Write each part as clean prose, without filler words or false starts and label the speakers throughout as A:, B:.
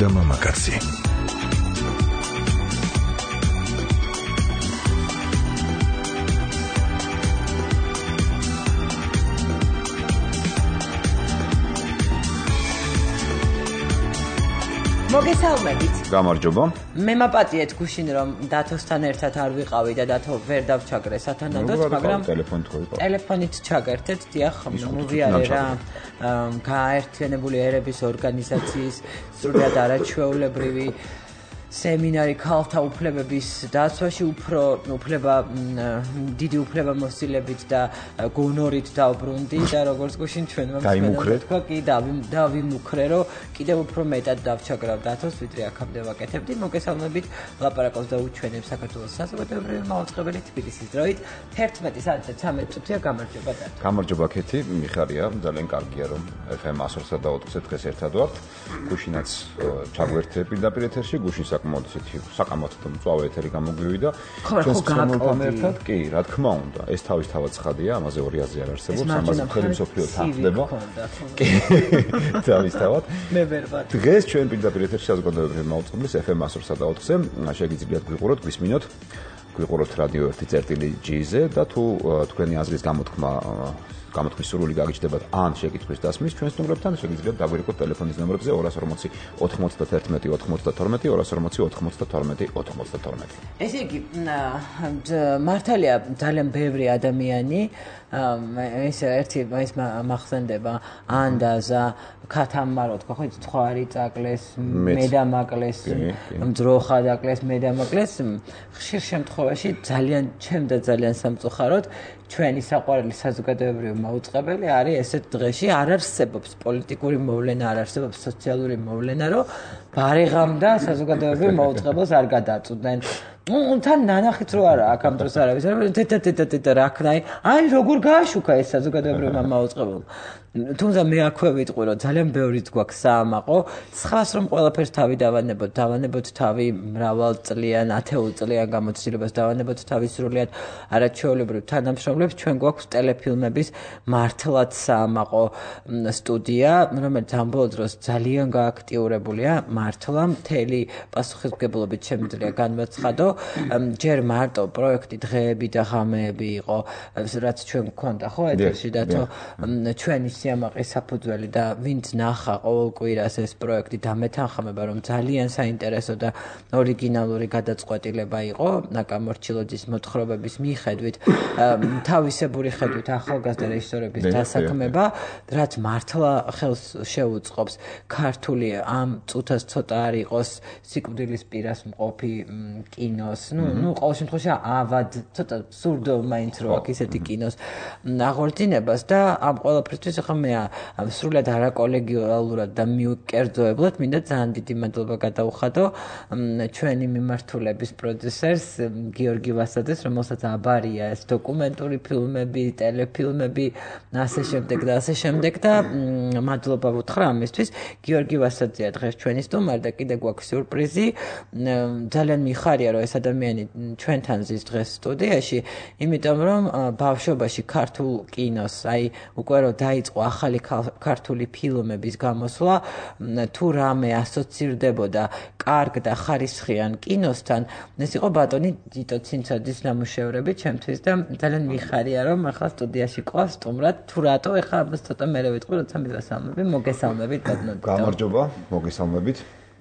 A: და მამაკაცი.
B: მოგესალმებით.
C: გამარჯობა.
B: მე მაპატიეთ გუშინ რომ დათოსთან ერთად არ ვიყავი და დათო ვერ დავჩაგრე სათანადოდ, მაგრამ ტელეფონით ჩაგერთეთ, დიახ, მოვიარე რა გააერთიანებული ერების ორგანიზაციის სრულად არაჩვეულებრივი სემინარი ქალთა უფლებების დაცვაში დიდი უფლებამოსილებით და გონორით დავბრუნდი და როგორც გუშინ ჩვენმა თქვა კი დავიმუქრე რომ კიდევ უფრო მეტად დავჩაგრავ დათოს ვიდრე აქამდე ვაკეთებდი. მოგესალმებით, ლაპარაკობს და უჩვენებს საქართველოს საზოგადოებრივი მაუწყებელი თბილისის დროით 11:13 წუთია. გამარჯობა დათო.
C: გამარჯობა ქეთი, მიხარია, ძალიან კარგია რომ FM 100-სა და 20-ზე დღეს ერთად ვართ. გუშინაც ჩაგვერთე პირდაპირ ეთერში, გუშინ საკამათო და მწვავე ეთერი გამოგვივიდა. ჩვენთან ერთად კი, რა თქმა უნდა, ეს თავისთავად ცხადია, ამაზე ორი აზრი არ არსებობს, ამაზე მთელი მსოფლიო თანხდება. კი, თავისთავად.
B: მე ვერ ვარ.
C: დღეს ჩვენ პირდაპირ ეთერში საზოგადოებრივი მაუწყებლის FM 100-სა და 20-ზე შეგიძლიათ გვიყუროთ, გვისმინოთ. გვიყუროთ რადიო 1.G-ზე და თუ თქვენი აზრის გამოთქმის სურვილი გაგიჩნდებათ ან შეკითხვის დასმის ჩვენს ნომრებთან შეგიძლიათ დაგვირეკოთ ტელეფონის ნომრებზე 240 91 92 240 92 92.
B: ესე იგი, მართალია ძალიან ბევრი ადამიანი ეს მახსენდება ანდაზა ქათამარო თქვა ხო ცხარი წაკლეს მედამაკლეს მძროხა დაკლეს მედამაკლეს ხშირ შემთხვევაში ძალიან სამწუხაროდ ჩვენი საყვარელი საზოგადოებრივი მაუწყებელი არის ესეთ დღეში არ არსებობს პოლიტიკური მოვლენა, არ არსებობს სოციალური მოვლენა, რომ ბარიღამ და საზოგადოებრივი მაუწყებელს არ გადაწყვეტენ. თან ნანახიც რო არა აქ ამ დროს არავის თეთრ რა ქნაი აი როგორ გააშუქა ეს საზოგადოებრივი მაუწყებელი. თუმცა მე აქვე ვიტყვი რომ ძალიან ბევრიც გვაქვს საამაყო, სხვას რომ ყველაფერს თავი დავანებოთ თავი მრავალწლიან, ათეულწლიან გამოცდილებას დავანებოთ თავი სრულიად არაჩვეულებრივ თანამშრომლებს, ჩვენ გვაქვს ტელეფილმების მართლაც საამაყო სტუდია, რომელიც ამ ბოლო დროს ძალიან გააქტიურებულია, მართლა მთელი პასუხისმგებლობით შემიძლია განვაცხადო. ჯერ მარტო პროექტი დღეები და ღამეები იყო, რაც ჩვენ გვქონდა ხო ეთერში და ჩვენი სიამაყის საფუძველი და ვინც ნახა ყოველ კვირას ეს პროექტი დამეთანხმება რომ ძალიან საინტერესო და ორიგინალური გადაწყვეტილება იყო ნაკამორჩილოძის მოთხრობების მიხედვით თავისებური ხედვით ახალგაზრდა რეჟისორების დასაქმება, რაც მართლა ხელს შეუწყობს ქართული ამ წუთას ცოტა არ იყოს სიკვდილის პირას მყოფი კინოს, ყოველ შემთხვევაში ავად ცოტა სურდო მაინც რო აქვს ისეთი კინოს აღორძინებას და ამ ყველაფრისთვის ახლა მე სრულად არაკოლეგიალურად და მიუკერძოებლად მინდა ძალიან დიდი მადლობა გადაუხადო ჩვენი მიმართულების პროდიუსერს გიორგი ვასაძეს, რომელსაც აბარია ეს დოკუმენტური ფილმები, ტელეფილმები, ასე შემდეგ და მადლობა ვუთხრა ამისთვის. გიორგი ვასაძეა დღეს ჩვენი სტუმარი და კიდე გვაქვს სიურპრიზი. ძალიან მიხარია რომ ეს ადამიანი ჩვენთან ზის დღეს სტუდიაში, იმიტომ რომ ბავშვობაში ქართულ კინოს, აი უკვე რომ დაიწყო ახალი ქართული ფილმების გამოსვლა, თუ რამე ასოცირდებოდა კარგ და ხარისხიან კინოსთან, ეს იყო ბატონი დიტო ცინცაძის ნამუშევრები ჩემთვის და ძალიან მიხარია რომ ახლა სტუდიაში ყავს სტუმრად. თუ რატო ახლა ამას ცოტა მერე ვიტყვი, როცა მივასალმები. მოგესალმებით ბატონო.
C: გამარჯობა, მოგესალმებით.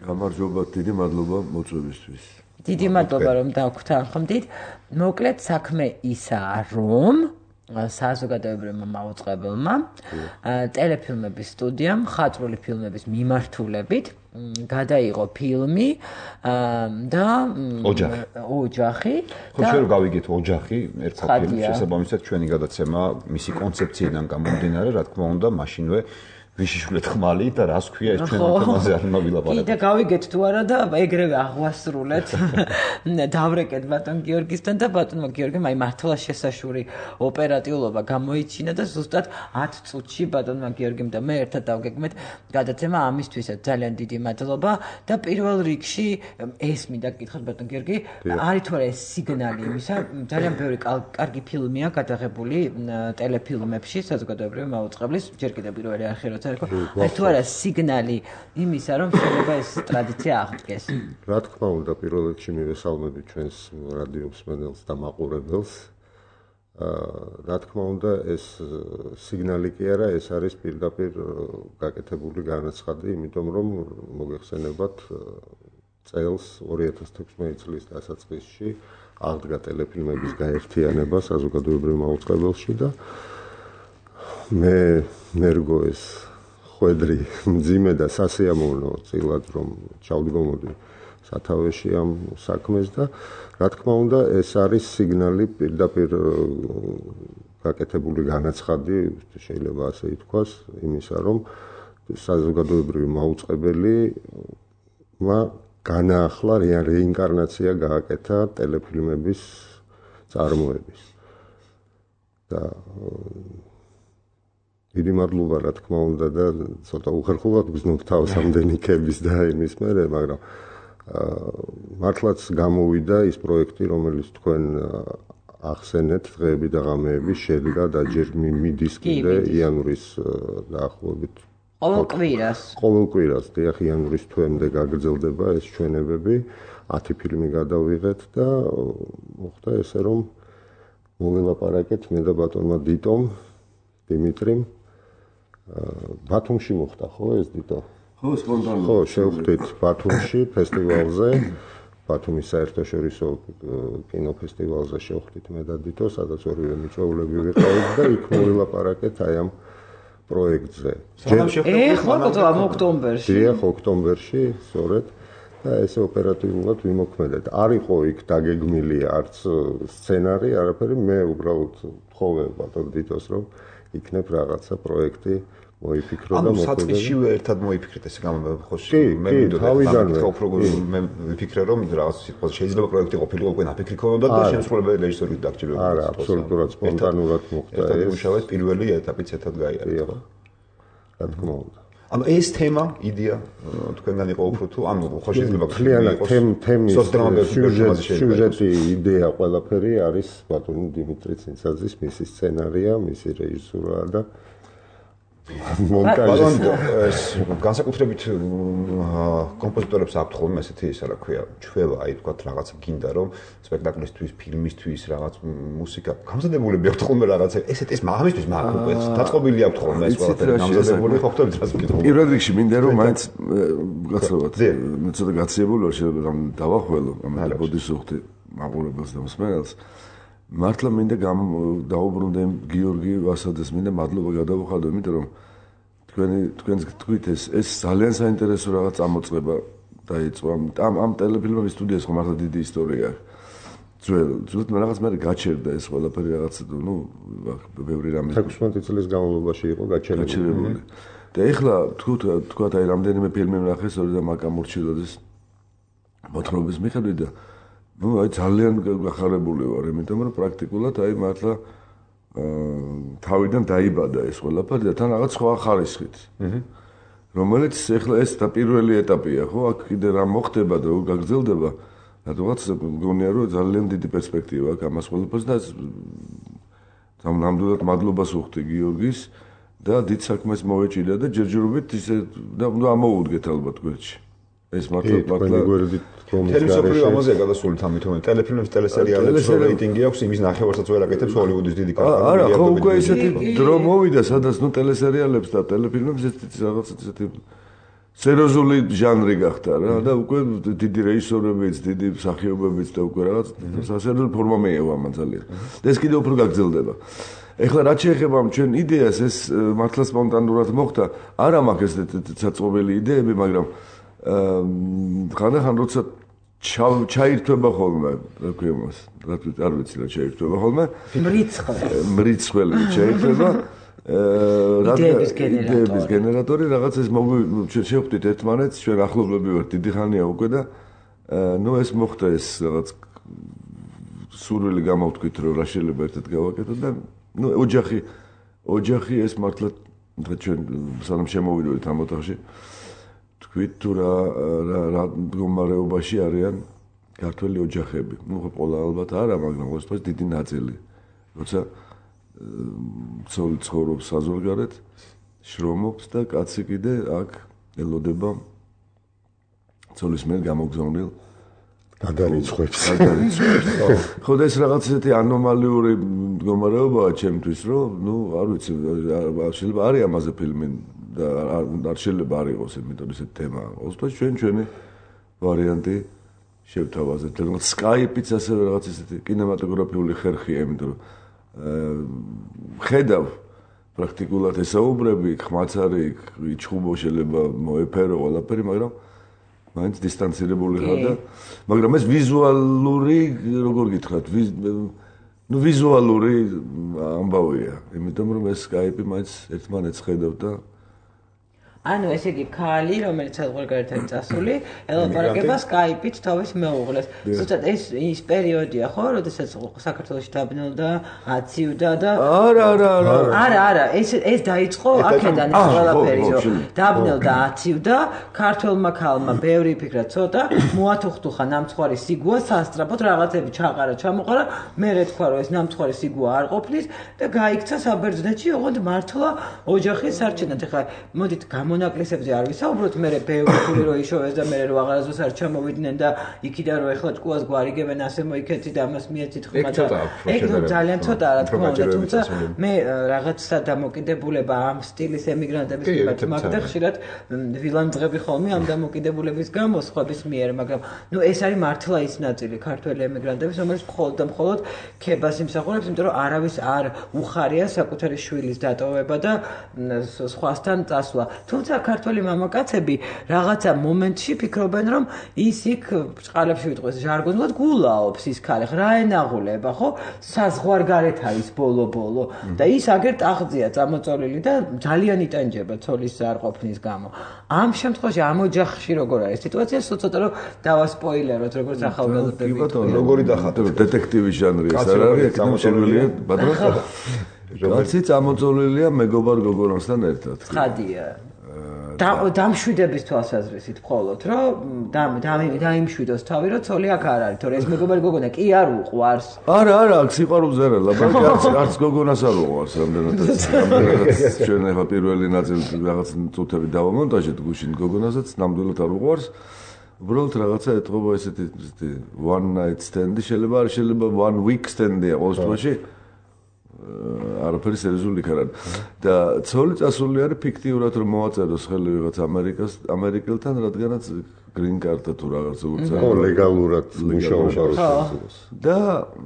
D: გამარჯობა, დიდი მადლობა მოწვევისთვის.
B: დიდი მადლობა რომ დავგვთანხმდით. მოკლედ საქმე ისაა რომ საზოგადოებრივმა მაუწყებელმა ტელეფილმების სტუდიამ მხატვრული ფილმების მიმართულებით გადაიღო ფილმი და ოჯახი.
C: ხო შენ გავიგეთ ოჯახი ერთ ფილმს შესაბამისად ჩვენი გადაცემა მისი კონცეფციიდან გამომდინარე, რა თქმა უნდა, მაშინვე ვიშიშვლეთ ხმალი და რას ქვია ეს ჩვენ თემაზე არ მოვილაპარაკოთ.
B: კიდე გავიგეთ თუ არა და ეგრევე აღვასრულეთ. დავრეკეთ ბატონ გიორგისთან და ბატონმა გიორგიმ აი მართლა შესაშური ოპერატიულობა გამოიჩინა და ზუსტად 10 წუთში ბატონმა გიორგიმ და მე ერთად დავგეგმეთ გადაცემა ამისთვისაც ძალიან დიდი მადლობა და პირველ რიგში ეს მინდა გკითხოთ ბატონ გიორგი, არის თუ არა ეს სიგნალი იმისა, ძალიან ბევრი კარგი ფილმია გადაღებული ტელეფილმებში საზოგადოებრივი მაუწყებლის, ჯერ კიდევ პირველი არხი როცა საერთოდ აი თუ არა სიგნალი იმისა რომ შეიძლება ეს ტრადიცია აღდგეს.
A: რა თქმა უნდა პირველ რიგში მივესალმები ჩვენს რადიო მსმენელს და მაყურებელს. რა თქმა უნდა ეს სიგნალი კი არა, ეს არის პირდაპირ გაკეთებული განაცხადი, იმიტომ რომ მოგეხსენებათ წელს 2016 წლის დასაწყისში აღდგა ტელეფილმების გაერთიანება საზოგადოებრივ მაუწყებელში და მე მერგო ეს ხვედრი მძიმე და სასიამოვნო წილად რომ ჩავდგომოდი სათავეში ამ საქმეს და რა თქმა უნდა ეს არის სიგნალი პირდაპირ გაკეთებული განაცხადი შეიძლება ასე ითქვას იმისა რომ საზოგადოებრივი მაუწყებელი განაახლა რეინკარნაცია გააკეთა ტელეფილმების წარმოების და დიდი მადლობა რა თქმა უნდა და ცოტა უხერხულად გზნობ თავს ამდენი ქების და იმის მერე მაგრამ მართლაც გამოვიდა ის პროექტი რომელიც თქვენ ახსენეთ დღეები და ღამეები შედგა და ჯერ მიდის კიდე იანვრის დაახლოებით ყოველ კვირას დიახ იანვრის თვემდე გაგრძელდება ეს ჩვენებები 10 ფილმი გადავიღეთ და მოხდა ესე რომ მოველაპარაკეთ მე და ბატონმა დიტომ დიმიტრიმ ბათუმში მოხდა ხო ეს დიტო
D: ხო სპონტანურად
A: ხო შევხვდით ბათუმში ფესტივალზე ბათუმის საერთაშორისო კინოფესტივალზე შევხვდით მე და დიტო სადაც ორივე მიწვეულები ვიყავით და იქ მოველაპარაკეთ აი ამ პროექტზე.
B: ხო, ოქტომბერში.
A: დიახ, ოქტომბერში, სწორედ. და ესე ოპერატიულად ვიმოქმედეთ. არ იყო იქ დაგეგმილი არც სცენარი, არაფერი, მე უბრალოდ თხოვე ბატონ დიტოს რომ იქნებ რაღაცა პროექტი მოიფიქრო და
C: მოქმედო. ანუ საწყისშივე ერთად მოიფიქრეთ ესე გამომხოში. მე მე ვიფიქრე რომ რაღაც შეიძლება პროექტი ყოფილიყო უკვე ნაფიქრი ქონოდა და შემსრულებელი რეჟისორი დაგჭირდა.
A: არა, აბსოლუტურად სპონტანურად მოხდა ეს.
C: მუშაობთ პირველი ეტაპიც ერთად გაიარა.
A: რა თქმა უნდა.
C: ანუ ეს თემა, იდეა თქვენგან იყო უფრო თუ ანუ ხო შეიძლება
A: თემის სიუჟეტი, იდეა ყველაფერი არის ბატონი დიმიტრი ცინცაძის, მისი სცენარია, მისი რეჟისურა და
C: მონტაჟი. განსაკუთრებით კომპოზიტორებს აქვთ ხოლმე ესეთი ისა რა ქვია, ჩვევა, აი თქვა რაღაცა გინდა რომ სპექტაკლისთვის, ფილმისთვის რაღაც მუსიკა გამზადებულები აქვთ ხოლმე რაღაცა ესეთ ეს მამისთვის მაგ დაწყობილი აქვთ ხოლმე ეს ყველაფერი გამზადებული ხო ხტობთ რას ვკითხო.
D: პირველ რიგში მინდა რომ მაინც გაცნობათ მე ცოტა გაციებული ვარ შეიძლება დავახველო ამ ბოდის უხდი მაყურებელს და მსმენელს მართლა მინდა დაუბრუნდე გიორგი ვასადეს მინდა მადლობა გადავუხადო იმიტომ რომ თქვენს თქვით ეს ძალიან საინტერესო რაღაც წამოწყება დაიწყო ამ ტელეფილმების სტუდიას ხო მართლა დიდი ისტორია ძველ რაღაც მე გაჩერდა ეს ყველაფერი რაღაც ნუ ბევრი რამე
A: 16 წლის განმავლობაში იყო გაჩერებული
D: და ეხლა თქვათ აი რამდენიმე ფილმი ვნახე სწორედ ამ აკამურჩილოდეს მოთხრობის მიხედვით და ნუ აი ძალიან გახარებული ვარ იმიტომ რომ პრაქტიკულად აი მართლა თავიდან დაიბადა ეს ყველაფერი და თან რაღაც სხვა ხარისხით რომელიც ეხლა ეს და პირველი ეტაპია ხო აქ კიდე რა მოხდება და გაგრძელდება რადგან მგონია რომ ძალიან დიდი პერსპექტივა აქვს ამას ყველაფერს და ნამდვილად მადლობას ვუხდი გიორგის და დიდ საქმეს მოვეჭიდა და ჯერჯერობით ისე და ამოუდგეთ ალბათ გვერდში ეს მართლა
C: ტელევიზორული ამაზეა გადასული თამით რომ ტელეფილმებს ტელესერიალებს რეიტინგი აქვს იმის ნახევარსაც ვერ აკეთებს ჰოლივუდის დიდი კამპანია
D: არა ხო უკვე ესეთი დრო მოვიდა სადაც ნუ ტელესერიალებს და ტელეფილმებს რაღაც ესეთი სერიოზული ჟანრი გახდა რა და უკვე დიდი რეჟისორებიც დიდი მსახიობებიც და უკვე რაღაც სასერიოზო ფორმა მეევა ამან ძალიან და ეს კიდევ უფრო გაგრძელდება ეხლა რაც შეეხება ამ ჩვენ იდეას ეს მართლა სპონტანურად მოხდა არა მაქვს ესეთი საწყობელი იდეები მაგრამ ხანდახან როცა ჩაირთვება ხოლმე რა ქვია მას არ ვიცი რა ჩაირთვება ხოლმე მრიცხველი ჩაირთვება იდეების გენერატორი რაღაც ეს შევხვდით ერთმანეთს ჩვენ ახლობლები ვართ დიდი ხანია უკვე და ნუ ეს მოხდა ეს რაღაც სურვილი გამოვთქვით რომ რა შეიძლება ერთად გავაკეთოთ და ნუ ოჯახი ეს მართლა ჩვენ სანამ შემოვიდოდით ამ ოთახში თქვით თუ რა მდგომარეობაში არიან ქართველი ოჯახები. ნუ ყველა ალბათ არა, მაგრამ ყოველთვის დიდი ნაწილი. როცა ცხოვრობს საზღვარგარეთ შრომობს და კაცი კიდე აქ ელოდება ცოლის მიერ გამოგზავნილ
A: გადარიცხვებს.
D: ხო და ეს რაღაც ისეთი ანომალიური მდგომარეობაა ჩემთვის, რომ არ ვიცი, შეიძლება არის ამაზე ფილმი და არ შეიძლება არ იყოს, იმიტომ ესეთი თემა. ოსტოს ჩვენი ვარიანტი შევთავაზეთ. რაღაც Skype-იც ასევე რაღაც ისეთი კინემატოგრაფიული ხერხია, იმიტომ რომ ხედავ პრაქტიკულად ესაუბრები, ხმაც არის, იჩხუბო შეიძლება მოეფერო ყველაფერი, მაგრამ მაინც დისტანცირებული ხარ და მაგრამ ეს ვიზუალური, როგორ გითხრათ, ვიზუალური ამბავია, იმიტომ რომ ეს Skype-ი მაინც ერთმანეთს ხედავ და
B: ანუ ესე იგი ქალი, რომელიც საზღვარგარეთთან წასული, ელაპარაკება Skype-ით თავის მეუღლეს. ზუსტად ის პერიოდია, ხო, როდესაც საქართველოში დაბნელდა, აცივდა და არა, ეს დაიწყო აქედან ეს ყველაფერი, რომ დაბნელდა, აცივდა, ქართველმა ქალმა ბევრი ფიქრა ცოტა, მოათუხტუხა ნამცხვარი სიგუა, სასწრაფოდ რაღაცები ჩაყარა, ჩამოყარა, მერე თქვა, რომ ეს ნამცხვარი სიგუა არ ყოფნის და გაიქცა საბერძნეთში, ოღონდ მართლა ოჯახის სარჩენად. ეხლა მოდით მონაკლისებზე არ ვისაუბროთ, მე ბევრი ფული რო იშოვეს და მე რო აღარასდროს არ ჩამოვიდნენ და იქიდან რო ეხლა ჭკუას გვარიგებენ ასე მოიქეცი და ამას მიეცით ხმა და ეგ ძალიან ცოტაა რა თქმა უნდა, თუმცა მე რაღაცა დამოკიდებულება ამ სტილის ემიგრანტების მიმართ მაგდა ხშირად ვილანძღები ხოლმე ამ დამოკიდებულების გამო სხვების მიერ, მაგრამ ეს არის მართლა ის ნაწილი ქართველი ემიგრანტების, რომელიც მხოლოდ და მხოლოდ ქებას იმსახურებს, იმიტომ რომ არავის არ უხარია საკუთარი შვილის დატოვება და სხვასთან წასვლა. თუმცა ქართველი მამაკაცები რაღაცა მომენტში ფიქრობენ, რომ ის იქ ჭყალებში ვიტყვეს ჟარგონულად გულაობს ის ქალი, რა ენაღულება, ხო? საზღვარგარეთ არის ბოლო-ბოლო და ის აგერ ტახტზეა წამოწოლილი და ძალიან იტანჯება ცოლის არყოფნის გამო. ამ შემთხვევაში ამ ოჯახში როგორ არის სიტუაცია? ცოტა რომ დავასპოილეროთ, როგორც ახალგაზრდები.
C: როგორი დახატეთ?
D: დეტექტივის ჟანრი ეს არ არის, ეკნო შეგვიძლია ბატონო. კაცი წამოწოლილია მეგობარ გოგონასთან ერთად.
B: ცხადია. დამშვიდების თვალსაზრისით მხოლოდ, რომ დაიმშვიდოს თავი, რომ ცოლი აქ არ არის, თორე ეს მეგობარი გოგონა კი არ უყვარს.
D: არა, აქ სიყვარულს არ არის, არც გოგონას არ უყვარს, რამდენად ჩვენ ახლა პირველი ნაწილი რაღაც წუთები დავამონტაჟეთ გუშინ გოგონასაც ნამდვილად არ უყვარს. უბრალოდ რაღაცა ეთყობა ესეთი one night stand-ი, შეიძლება one week stand-ია ყოველ შემთხვევაში. არაფერი სერიოზული არ არის. და ცოლი წასული არის ფიქტიურად რომ მოვაწეროს ხელი ვიღაც ამერიკელთან, რადგანაც green card-ა თუ რაღაც უცებ.
A: ხო, ლეგალურად მუშაობა რუსეთს.
D: და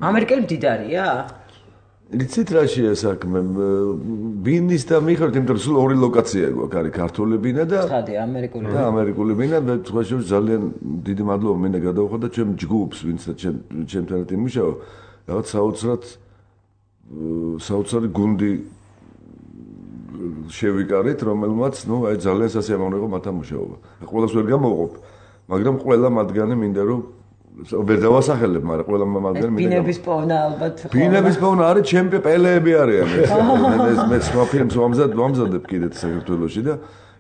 B: ამერიკელი მდიდარია?
D: იცით რა შეა საქმე? ბინის და მიხედვით, იმიტომ რომ სულ ორი ლოკაცია გვაქვს, არის ქართული ბინა და
B: ამერიკული.
D: და ამერიკული ბინა და სხვა შორის ძალიან დიდი მადლობა მინდა გადავხო და ჩემ ჯგუფს, ვინც ჩემთან ერთად იმუშავა, რაღაც საოცარი გუნდი შევიკარით, რომელმაც, აი ძალიან სასიამოვნო იყო მათთან მუშაობა. ყველას ვერ გამოვყოფ, მაგრამ ყველა მათგანი მინდა რომ ვერ დავასახელებ, მაგრამ ყველა მათგანი მინდა.
B: ბინების პოვნა ალბათ.
D: ბინების პოვნა არის, ჩემპი პელეები არიან. მე სხვა ფილმს ვამზადებ კიდე საქართველოში და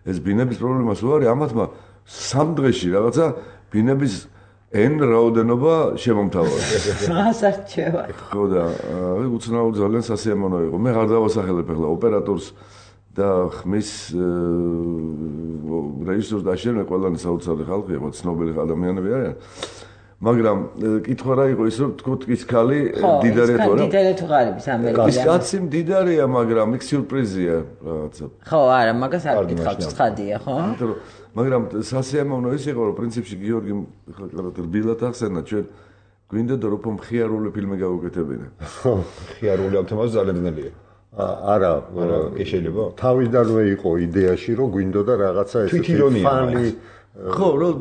D: ეს ბინების პრობლემა სულ არის, ამათმა 3 დღეში რაღაცა ბინების N რაოდენობა შემომთავაზა.
B: ასარჩევად.
D: ხო და უცნაური ძალიან სასიამოვნო იყო. მე არ დავასახელებ ახლა ოპერატორს და ხმის რეჟისორს და შენ ყველანი საოცარი ხალხი იყო, ცნობილი ადამიანები არიან. მაგრამ კითხვა რა იყო ის რომ თქო ის ქალი დიდარია თუ არა?
B: დიდარია თუ ღარიბის ამერიკაში.
D: ის კაცი დიდარია, მაგრამ იქ სიურპრიზია რაღაცა.
B: ხო, არა, მაგას არ გითხავთ, ცხადია, ხო?
D: მაგრამ სასიამოვნო ის იყო, რომ პრინციპში გიორგი რბილად ახსენა, ჩვენ გვინდა და რომ მხიარული ფილმი გავუკეთებინა.
C: ხო, მხიარული ამ თემაზე ძალიან ძნელია.
A: არა,
C: შეიძლება.
A: თავიდანვე იყო იდეაში, რომ გვინდოდა რაღაცა ესეთი ფანი.
D: ხო, რომ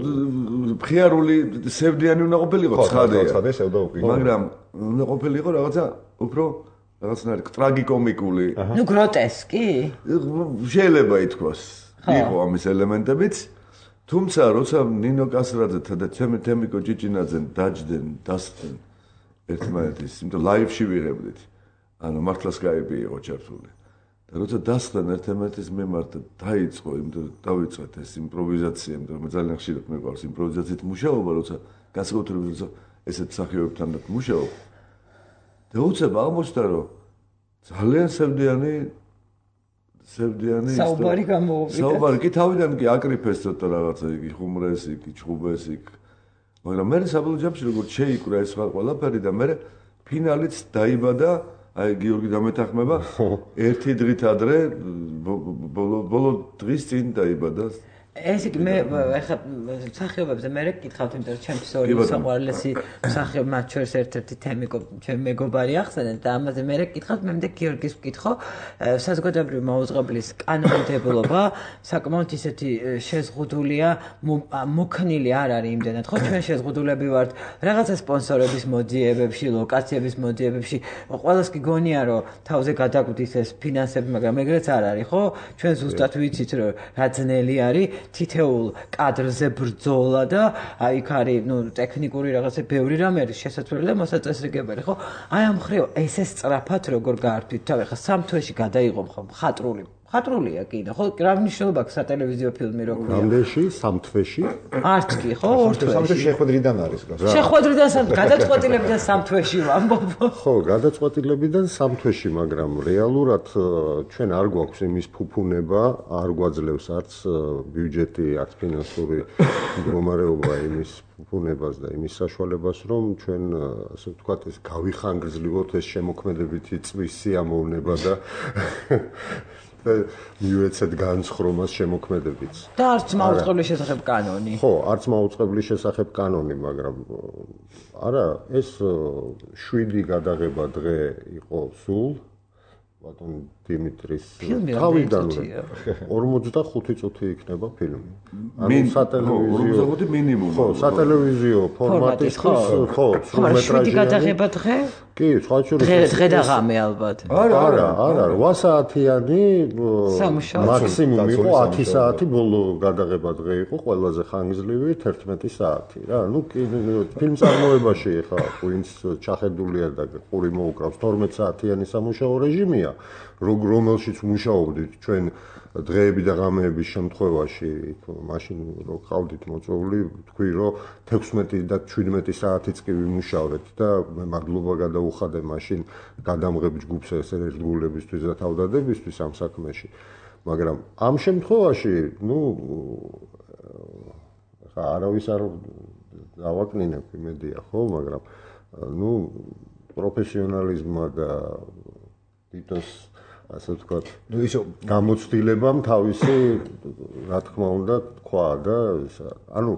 D: მხიარული სევდიანი უნდა ყოფილიყო, ცხადია. მაგრამ უნდა ყოფილიყო რაღაცა უფრო რაღაცნაირი ტრაგიკომიკული.
B: ნუ გროტესკი?
D: შეიძლება ითქვას. იყო ამის ელემენტებიც, თუმცა როცა ნინო კასრაძეთან და თემიკო ჭიჭინაძენ დაჯდნენ, დასწრდნენ ერთმანეთის, იმიტომ ლაივში ვიღებდით. ანუ მართლა Skype-ი იყო ჩართული. და როცა დასწრდნენ ერთმანეთის მიმართ, დაიწყო, იმიტომ დავიწყეთ ეს იმპროვიზაცია, იმიტომ მე ძალიან ხშირად მიყვარს იმპროვიზაციით მუშაობა, როცა განსაკუთრებით როცა ესეთ მსახიობებთან მუშაობ. და უცებ აღმოჩნდა, რომ ძალიან სევდიანი სევდიანი
B: საუბარი გამოვიდა.
D: საუბარი კი თავიდან კი აკრიფეს ცოტა რაღაცა იგი ხუმრეს, იგი ჩხუბეს იქ. მაგრამ მე საბოლოო ჯამში როგორც შეიკვრა ეს ყველაფერი და მე ფინალიც დაიბადა აი გიორგი დამეთანხმება ერთი დღით ადრე ბოლო დღის წინ დაიბადა
B: ეს იქ მე ახლა სახეობებზე მე გითხავთ იმიტომ რომ ჩემს ორი საყვარლესი სახეობა მათ შორის ერთ-ერთი თემი ჩემ მეგობარი ახსენეთ და ამაზე მე გითხავთ მე მეთქი გიორგის ვკითხო საზოგადოებრივი მაუწყებლის კანონმდებლობა საკმაოდ ისეთი შეზღუდულია მოქნილი არ არის იმდენად ხო ჩვენ შეზღუდულები ვართ რაღაცა სპონსორების მოძიებებში ლოკაციების მოძიებებში ყველას გიგონია რომ თავზე გადაგვდის ეს ფინანსები მაგრამ ეგრეც არ არის ხო ჩვენ ზუსტად ვიცით რომ რა ძნელი არის თითეულ კადრზე ბრძოლა და აი იქ არის ნუ ტექნიკური რაღაცა ბევრი რამე არის შესაძლებელი და მოსაწესრიგებელი ხო აი ამ ხრივ ესე სწრაფად როგორ გაართვით თავი ხა სამ თვეში გადაიღო ხომ ხატრულია კიდე ხო რა მნიშვნელობა აქვს სატელევიზიო ფილმი რო ქვია
A: რამდენში სამ თვეში
B: არც კი ხო ორ თვეში
C: შეხვედრიდან არის
B: შეხვედრიდან გადაწყვეტილებიდან სამ თვეში ვამბობ
A: ხო გადაწყვეტილებიდან სამ თვეში მაგრამ რეალურად ჩვენ არ გვაქვს იმის ფუფუნება არ გვაძლევს არც ბიუჯეტი არც ფინანსური მდგომარეობა იმის ფუფუნებას და იმის საშუალებას რომ ჩვენ ასე ვთქვათ ეს გავიხანგრძლივოთ ეს შემოქმედებითი წვის სიამოვნება და მიუეცეთ განსხრომას შემოქმედებიც.
B: და არც მაუწყებლის შესახებ კანონი.
A: ხო, არც მაუწყებლის შესახებ კანონი, მაგრამ არა, ეს 7 გადაღება დღე იყო სულ. ბატონ დიმიტრის თავიდანვე 45 წუთი იქნება ფილმი.
D: ანუ სატელევიზიო 45 მინიმუმ.
A: ხო, სატელევიზიო ფორმატის ხო, სრულმეტრაჟიანი.
B: 7 გადაღება დღე?
A: კი, სხვა შორის
B: დღე და ღამე ალბათ.
A: არა, 8 საათიანი მაქსიმუმ იყო 10 საათი ბოლო გადაღება დღე იყო ყველაზე ხანგრძლივი 11 საათი რა. ნუ ფილმ წარმოებაში ხა ვინც ჩახედულია და ყური მოუკრავს 12 საათიანი სამუშაო რეჟიმია. რომელშიც მუშაობდით ჩვენ დღეები და ღამეების შემთხვევაში, მაშინ რო ყავდით მოწვეული, თქვი რომ 16 და 17 საათიც კი ვიმუშავრეთ და მე მადლობა გადაუხადე მაშინ გადამღებ ჯგუფს ეს ერთგულებისთვის და თავდადებისთვის ამ საქმეში. მაგრამ ამ შემთხვევაში, ნუ ხა არავის არ დავაკნინებ იმედია, ხო, მაგრამ ნუ პროფესიონალიზმმა და თვითონ ასე ვთქვათ,
C: ნუ ისო
A: გამოცდილებამ თავისი, რა თქმა უნდა, თქვა და ანუ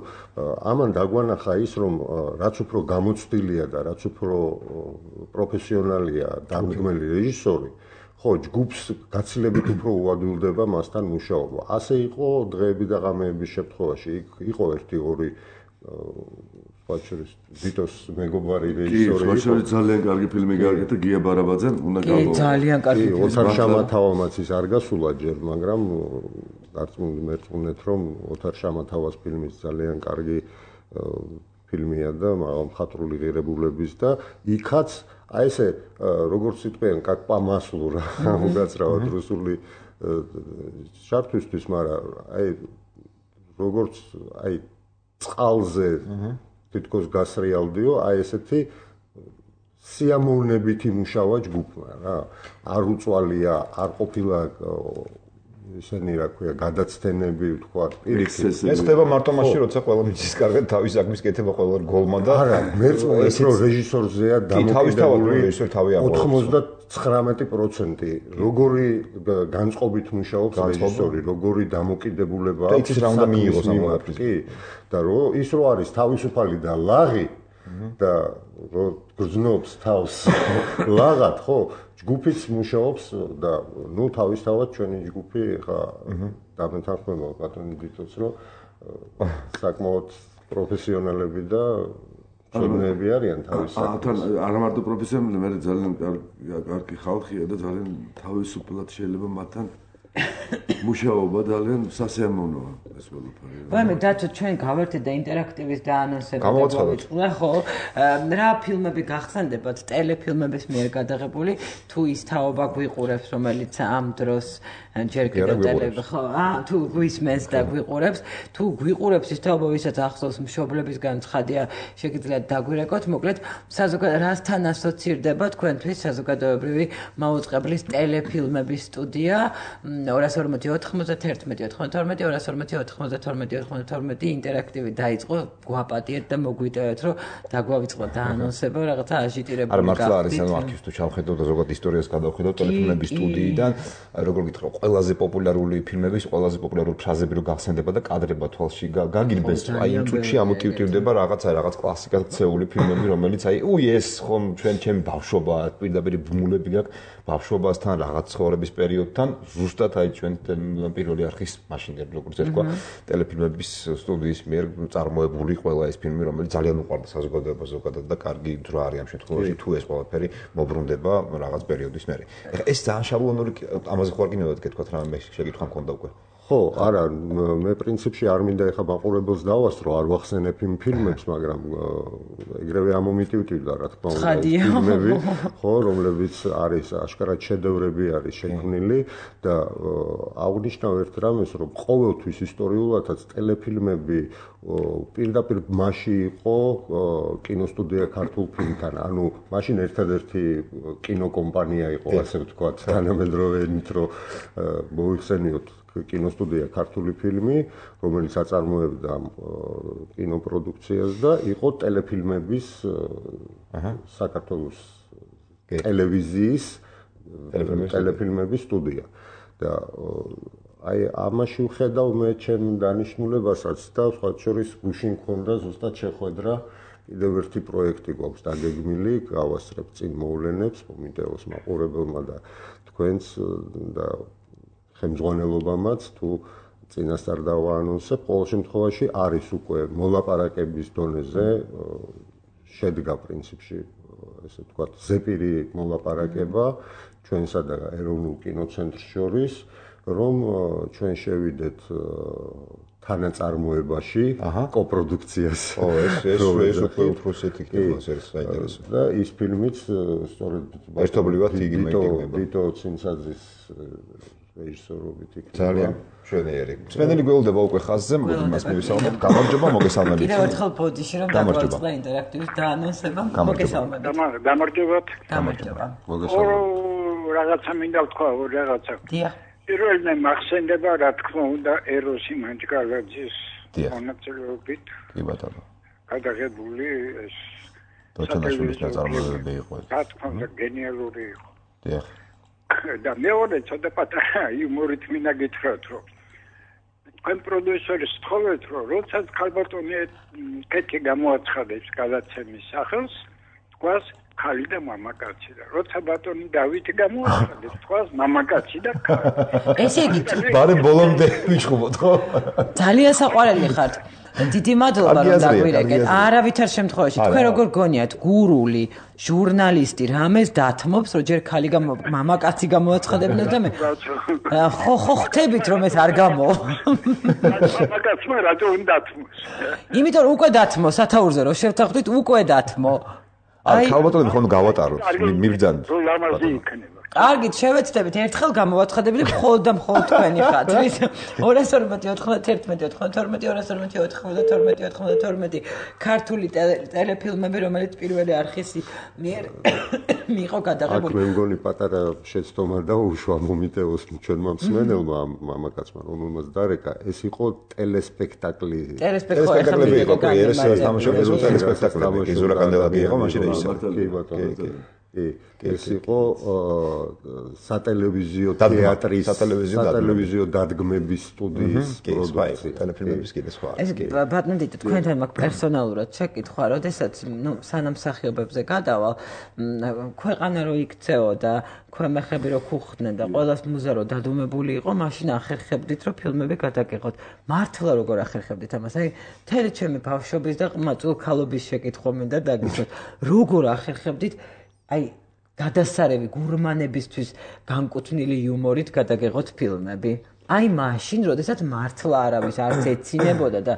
A: ამან დაგვანახა ის, რომ რაც უფრო გამოცდილია და რაც უფრო პროფესიონალია დამდგმელი რეჟისორი, ხო, ჯგუფს გაცილებით უფრო უადვილდება მასთან მუშაობა. ასე იყო დღეები და ღამეების შემთხვევაში. იყო 1-2 ვიტოს მეგობარი რეჟისორი.
D: კი, შეიძლება ძალიან კარგი ფილმი გააკეთა გია ბარაბაძემ, უნდა
B: გავიგო. კი, ძალიან კარგი.
A: ოთარ შამათავამაც ის არ გასულა ჯერ, მაგრამ მერწმუნეთ რომ ოთარ შამათავას ფილმის ძალიან კარგი ფილმია და მხატვრული ღირებულების და იქაც აი ესე როგორც იტყვიან, как по маслу რა, უგაცრავად რუსული შარფისთვის, მაგრამ აი როგორც აი წყალზე თითქოს გასრიალდიო, აი ესეთი სიამოვნებითი მუშავა ჯგუფმა რა. არ უწვალია, არ ყოფილა ისენი რა ქვია, გადაცდენები, თქვა, პირიქით.
C: ეს ხდება მარტო მაშინ, როცა ყველა მიწის კარგად თავის საქმის კეთება ყველა გოლმა და
A: არა, მერწმუნეთ რომ რეჟისორზეა დამოკიდებული 99% როგორი განწყობით მუშაობს რეჟისორი, როგორი დამოკიდებულება
C: აქვს. და იცის რა უნდა მიიღოს ამ ყველაფრის.
A: კი, და ის რო არის თავისუფალი და ლაღი და რო გრძნობს თავს ლაღად, ხო, ჯგუფიც მუშაობს და ნუ თავისთავად ჩვენი ჯგუფი ხა დამეთანხმება ბატონი დიტოს რომ საკმაოდ პროფესიონალები და ჩვენები არიან თავის საქმეში.
D: არა მარტო პროფესიონალები, მე ძალიან კარგი ხალხია და ძალიან თავისუფლად შეიძლება მათთან მუშაობა ძალიან სასიამოვნოა ეს ყველაფერი.
B: ვაიმე დათო ჩვენ გავერთეთ და ინტერაქტივის და ანონსები და ხო რა ფილმები გახსენდებათ ტელეფილმების მიერ გადაღებული თუ ის თაობა გვიყურებს რომელიც ამ დროს ჯერ კიდევ ტელები ხო თუ გვისმენს და გვიყურებს თუ გვიყურებს ის თაობა ვისაც ახსოვს მშობლებისგან ცხადია შეგიძლიათ დაგვირეკოთ მოკლედ რასთან ასოცირდება თქვენთვის საზოგადოებრივი მაუწყებლის ტელეფილმების სტუდია 241-92 ინტერაქტივი დაიწყო გვაპატიეთ და მოგვიტევეთ რომ დაგვავიწყოთ და ანონსება რაღაცა აჟიტირებული
C: არა მართლა არის ანუ არქივს თუ ჩავხედავთ და ზოგადად ისტორიას გადავხედავთ ტელეფილმების სტუდიიდან როგორ გითხრა ყველაზე პოპულარული ფილმების ყველაზე პოპულარული ფრაზები რო გახსენდება და კადრება თვალში გაგინბეს აი იმ წუთში ამოტივტივდება რაღაც კლასიკად ქცეული ფილმები რომელიც აი ეს ხომ ჩემი ბავშვობა პირდაპირ ბმულები გაქვს ბავშვობასთან რაღაც ცხოვრების პერიოდთან ზუსტად აი ჩვენ პირველი არქის მაშინ როგორც ერქვა ტელეფილმების სტუდიის მიერ წარმოებული ყველა ეს ფილმი რომელიც ძალიან უყვარდა საზოგადოებას ზოგადად და კარგი დრო არის ამ შემთხვევაში თუ ეს ყველაფერი მობრუნდება რაღაც პერიოდის მერე ეს ძალიან შაბლონური ამაზე ხوار კი ნებად გეთქვათ რა მე შეკითხვა მქონდა უკვე
A: ხო არა მე პრინციპში არ მინდა ეხა მაყურებელს დავასწრო არ ვახსენებ იმ ფილმებს მაგრამ ეგრევე ამომიტივტივდა რა თქმა უნდა ფილმები ხო რომლებიც არის აშკარად შედევრები არის შექმნილი და აღნიშნავ ერთ რამეს რომ ყოველთვის ისტორიულადაც ტელეფილმები პირდაპირ მასში იყო კინოსტუდია ქართულ ფილმთან ანუ მაშინ ერთადერთი კინოკომპანია იყო ასე ვთქვათ თანამედროვეებით რომ მოიხსენიოთ კინოსტუდია ქართული ფილმი, რომელიც აწარმოებდა კინოპროდუქციას და იყო ტელეფილმების საქართველოს ტელევიზიის ტელეფილმების სტუდია. და აი ამაში ვხედავ მე ჩემ დანიშნულებასაც და სხვა შორის გუშინ მქონდა ზუსტად შეხვედრა კიდევ ერთი პროექტი გვაქვს დაგეგმილი, გავასწრებ წინ მოვლენებს კომიტეოს მაყურებელმა და თქვენს და ხელმძღვანელობამაც თუ წინასწარ დავაანონსებ, ყოველ შემთხვევაში არის უკვე მოლაპარაკების დონეზე შედგა პრინციპში, ესე ვთქვათ, ზეპირი მოლაპარაკება ჩვენსა და ეროვნულ კინოცენტრს შორის, რომ ჩვენ შევიდეთ თანაწარმოებაში კოპროდუქციას.
C: ო, ეს უკვე უფროსეთი ხდება, ეს საინტერესო.
A: და ის ფილმიც სწორედ
C: ერთობლივად იგივე
A: ვიტო ცინცაძის რეჟისორობით იქნება.
C: ძალიან მშვენიერი. მსმენელი გველდება უკვე ხაზზე, მოდი მას მივისალმოთ. გამარჯობა, მოგესალმებით.
B: კიდევ ერთხელ ბოდიში რომ დაგვაწყდა ინტერაქტივის დაანონსება. მოგესალმებით.
E: გამარჯობათ.
B: გამარჯობა.
A: მოგესალმებით.
E: რაღაცა მინდა ვთქვა, რაღაცა.
B: დიახ.
E: პირველი მახსენდება, რა თქმა უნდა, ეროსი მანჯგალაძის მონაწილეობით.
C: კი ბატონო.
E: გადაღებული ეს
C: დოჩანაშვილის ნაწარმოებები იყო.
E: რა თქმა უნდა, გენიალური იყო.
C: დიახ.
E: და მეორე ცოტა პატარა იუმორით მინდა გითხრათ, რომ თქვენ პროდიუსერის თხოვეთ, რომ როდესაც ქალბატონი კეთილი გამოაცხადებს გადაცემის სახელს, თქვას ქალი და მამაკაცი და როცა ბატონი დავითი გამოაცხადებს, თქვას მამაკაცი და ქალი.
B: ესე იგი,
C: ბარე ბოლომდე ვიჩხუბოთ, ხო?
B: ძალიან საყვარელი ხართ. დიდი მადლობა რომ დაგვირეკეთ. არავითარ შემთხვევაში თქვენ როგორ გონიათ გურული ჟურნალისტი რამეს დათმობს რომ ჯერ ქალი მამაკაცი გამოაცხადებინოს და მე ხო ხტებით რომ ეს არ გამო
E: მამაკაცმა რატო უნდა დათმოს
B: იმიტომ რომ უკვე დათმო სათაურზე რომ შევთანხმდით უკვე დათმო
C: აი ქალბატონები ხომ გავატაროთ მიბრძანოთ
E: რომ ლამაზი იქნება
B: კარგით, შევეცდებით ერთხელ გამოვაცხადებელი მხოლოდ და მხოლოდ თქვენი ხაზით. 241-92 ქართული ტელეფილმები, რომელიც პირველი არქისი მიერ მიიღო გადაღებული.
A: აქ მე მგონი პატარა შეცდომა და უშვა მომიტევოს ჩვენმა მსმენელმა მამაკაცმა, რომელმაც დარეკა, ეს იყო ტელესპექტაკლი.
C: ტელესპექტაკლები იყო, ეს თამაშობენ ტელესპექტაკლები. იზურა კანდელადი იყო მაშინ რეჟისორი.
A: კი ბატონო. ეს იყო სატელევიზიო თეატრის სატელევიზიო დადგმების სტუდიის პროდუქცია
C: ტელეფილმების კიდე სხვა
B: ეს ბატონო დიტო თქვენთან მაქვს პერსონალურად შეკითხვა როდესაც სანამ მსახიობებზე გადავალ ქვეყანა რო იქცეო და ქვემეხები რო ქუხდნენ და ყველას მუზა რო დადუმებული იყო მაშინ ახერხებდით რომ ფილმები გადაგიღოთ მართლა როგორ ახერხებდით ამას აი მთელი ჩემი ბავშვობის და ყმაწვილ ქალობის შეკითხვა მინდა დაგისვათ როგორ ახერხებდით აი გადასარევი გურმანებისთვის განკუთვნილი იუმორით გადაგեղოთ ფილმები. აი მაშინ, როდესაც მართლა არავის არც ეცინებოდა და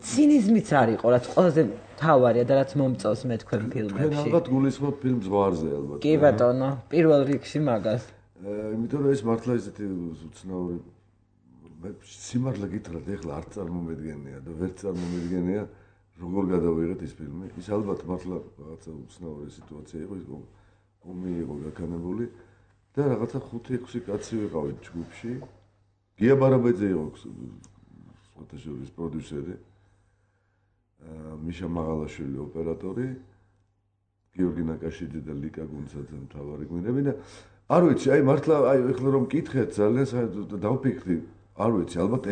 B: ცინიზმიც არ იყო, რაც ყველაზე თავარია და რაც მომწონს მე თქვენ ფილმებში.
D: თქვენ ალბათ გულისხმობ ფილმს ზღვარზე ალბათ.
B: კი ბატონო, პირველ რიგში მაგას.
D: იმიტომ რომ ეს მართლა ესეთი უცნაური სიმართლე გითხრათ ეხლა არ წარმომედგენია და ვერ წარმომედგენია როგორ გადავიღეთ ეს ფილმი. ის ალბათ მართლა რაღაცა უცნაური სიტუაცია იყო, ის ომი იყო გაქანებული და რაღაცა 5-6 კაცი ვიყავით ჯგუფში. გია ბარაბაძე იყო ფოტოშოპის პროდიუსერი. მიშა მაღალაშვილი ოპერატორი, გიორგი ნაკაშიძე და ლიკა გუნცაძე მთავარი გმირები და არ ვიცი, აი მართლა აი ეხლა რომ მკითხეთ ძალიან დავფიქრდი, არ ვიცი, ალბათ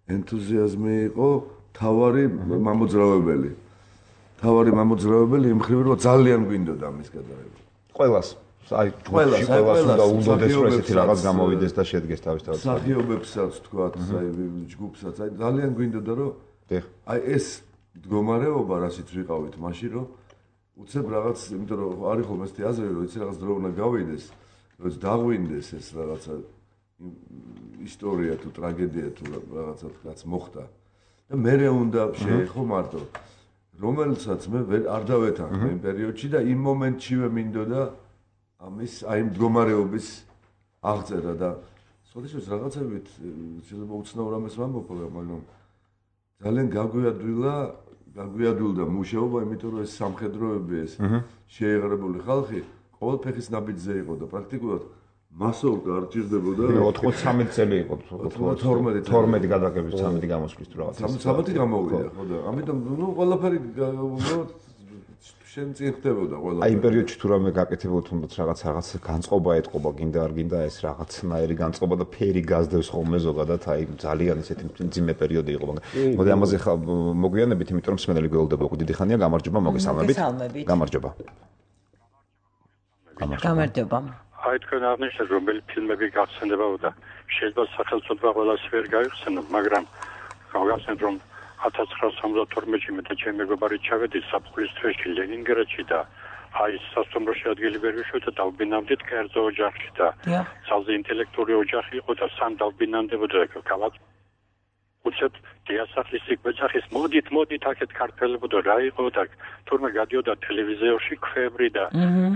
D: ენთუზიაზმი იყო თავარი მამოძრავებელი. თავარი მამოძრავებელი იმ ხრივ რომ ძალიან გვინდოდა მის გადაღება.
C: ყველას აი ყველას უნდა უნდოდეს რომ ესეთი რაღაც გამოვიდეს და შედგეს თავისთავად.
D: სახიობებსაც თქვათ, აი ჯგუფსაც, აი ძალიან გვინდოდა რომ აი ეს მდგომარეობა რასიც ვიყავით მაშინ რომ უცებ რაღაც, იმიტომ რომ არის ხოლმე ესეთი აზრი რომ იცი რაღაც დრო უნდა გავიდეს, რომ დაღვინდეს ეს რაღაცა ისტორია თუ ტრაგედია თუ რაღაცა რაც მოხდა. და მე უნდა შეეხო მარტო რომელსაც მე არ დავეთანხმე იმ პერიოდში და იმ მომენტშივე მინდოდა ამის აი მდგომარეობის აღწერა და სხვადასხვა რაღაცებით შეიძლება უცნაურ ამას ვამბობ, მაგრამ ძალიან გაგვიადვილდა მუშაობა, იმიტომ რომ ეს სამხედროები ეს შეიღრებული ხალხი ყოველ ფეხის ნაბიჯზე იყო და პრაქტიკულად მასოვკა არ ჭირდებოდა
C: 93 წელი იყო 12 გადაღების 13 გამოსვლის თუ რაღაცა
D: 13 გამოვიდა ხო და ამიტომ ნუ ყველაფერი შენ წინ ხდებოდა ყველა
C: აი იმ პერიოდში თუ რამე გაკეთებულ თუნდაც რაღაც განწყობა ეთყობა გინდა არ გინდა ეს რაღაცნაირი განწყობა და ფერი გაზდევს ხოლმე ზოგადად აი ძალიან ისეთი მძიმე პერიოდი იყო მაგრამ მოდი ამაზე ხა მოგვიანებით იმიტომ რომ მსმენელი გველდება უკვე დიდი ხანია გამარჯობა მოგესალმებით გამარჯობა
E: აი თქვენ აღნიშნეთ რომელი ფილმები გახსენდებოდა და შეიძლება სახელმწიფო ყველას ვერ გაიხსენოთ მაგრამ გავახსენოთ რომ 1972-ში მე და ჩემი მეგობარი ჩავედი საფხულის თვეში ლენინგრადში და აი სასტუმროში ადგილი ვერ ვიშოვდა და დავბინავდით კერძო ოჯახში და ძალზე ინტელექტუალური ოჯახი იყო და სამ დავბინავდებოდა გავაკ უცებ დიასახლის სიკვეცახის მოდით აქეთ ქართველებოდა რა იყო და თურმე გადიოდა ტელევიზორში ქვევრი და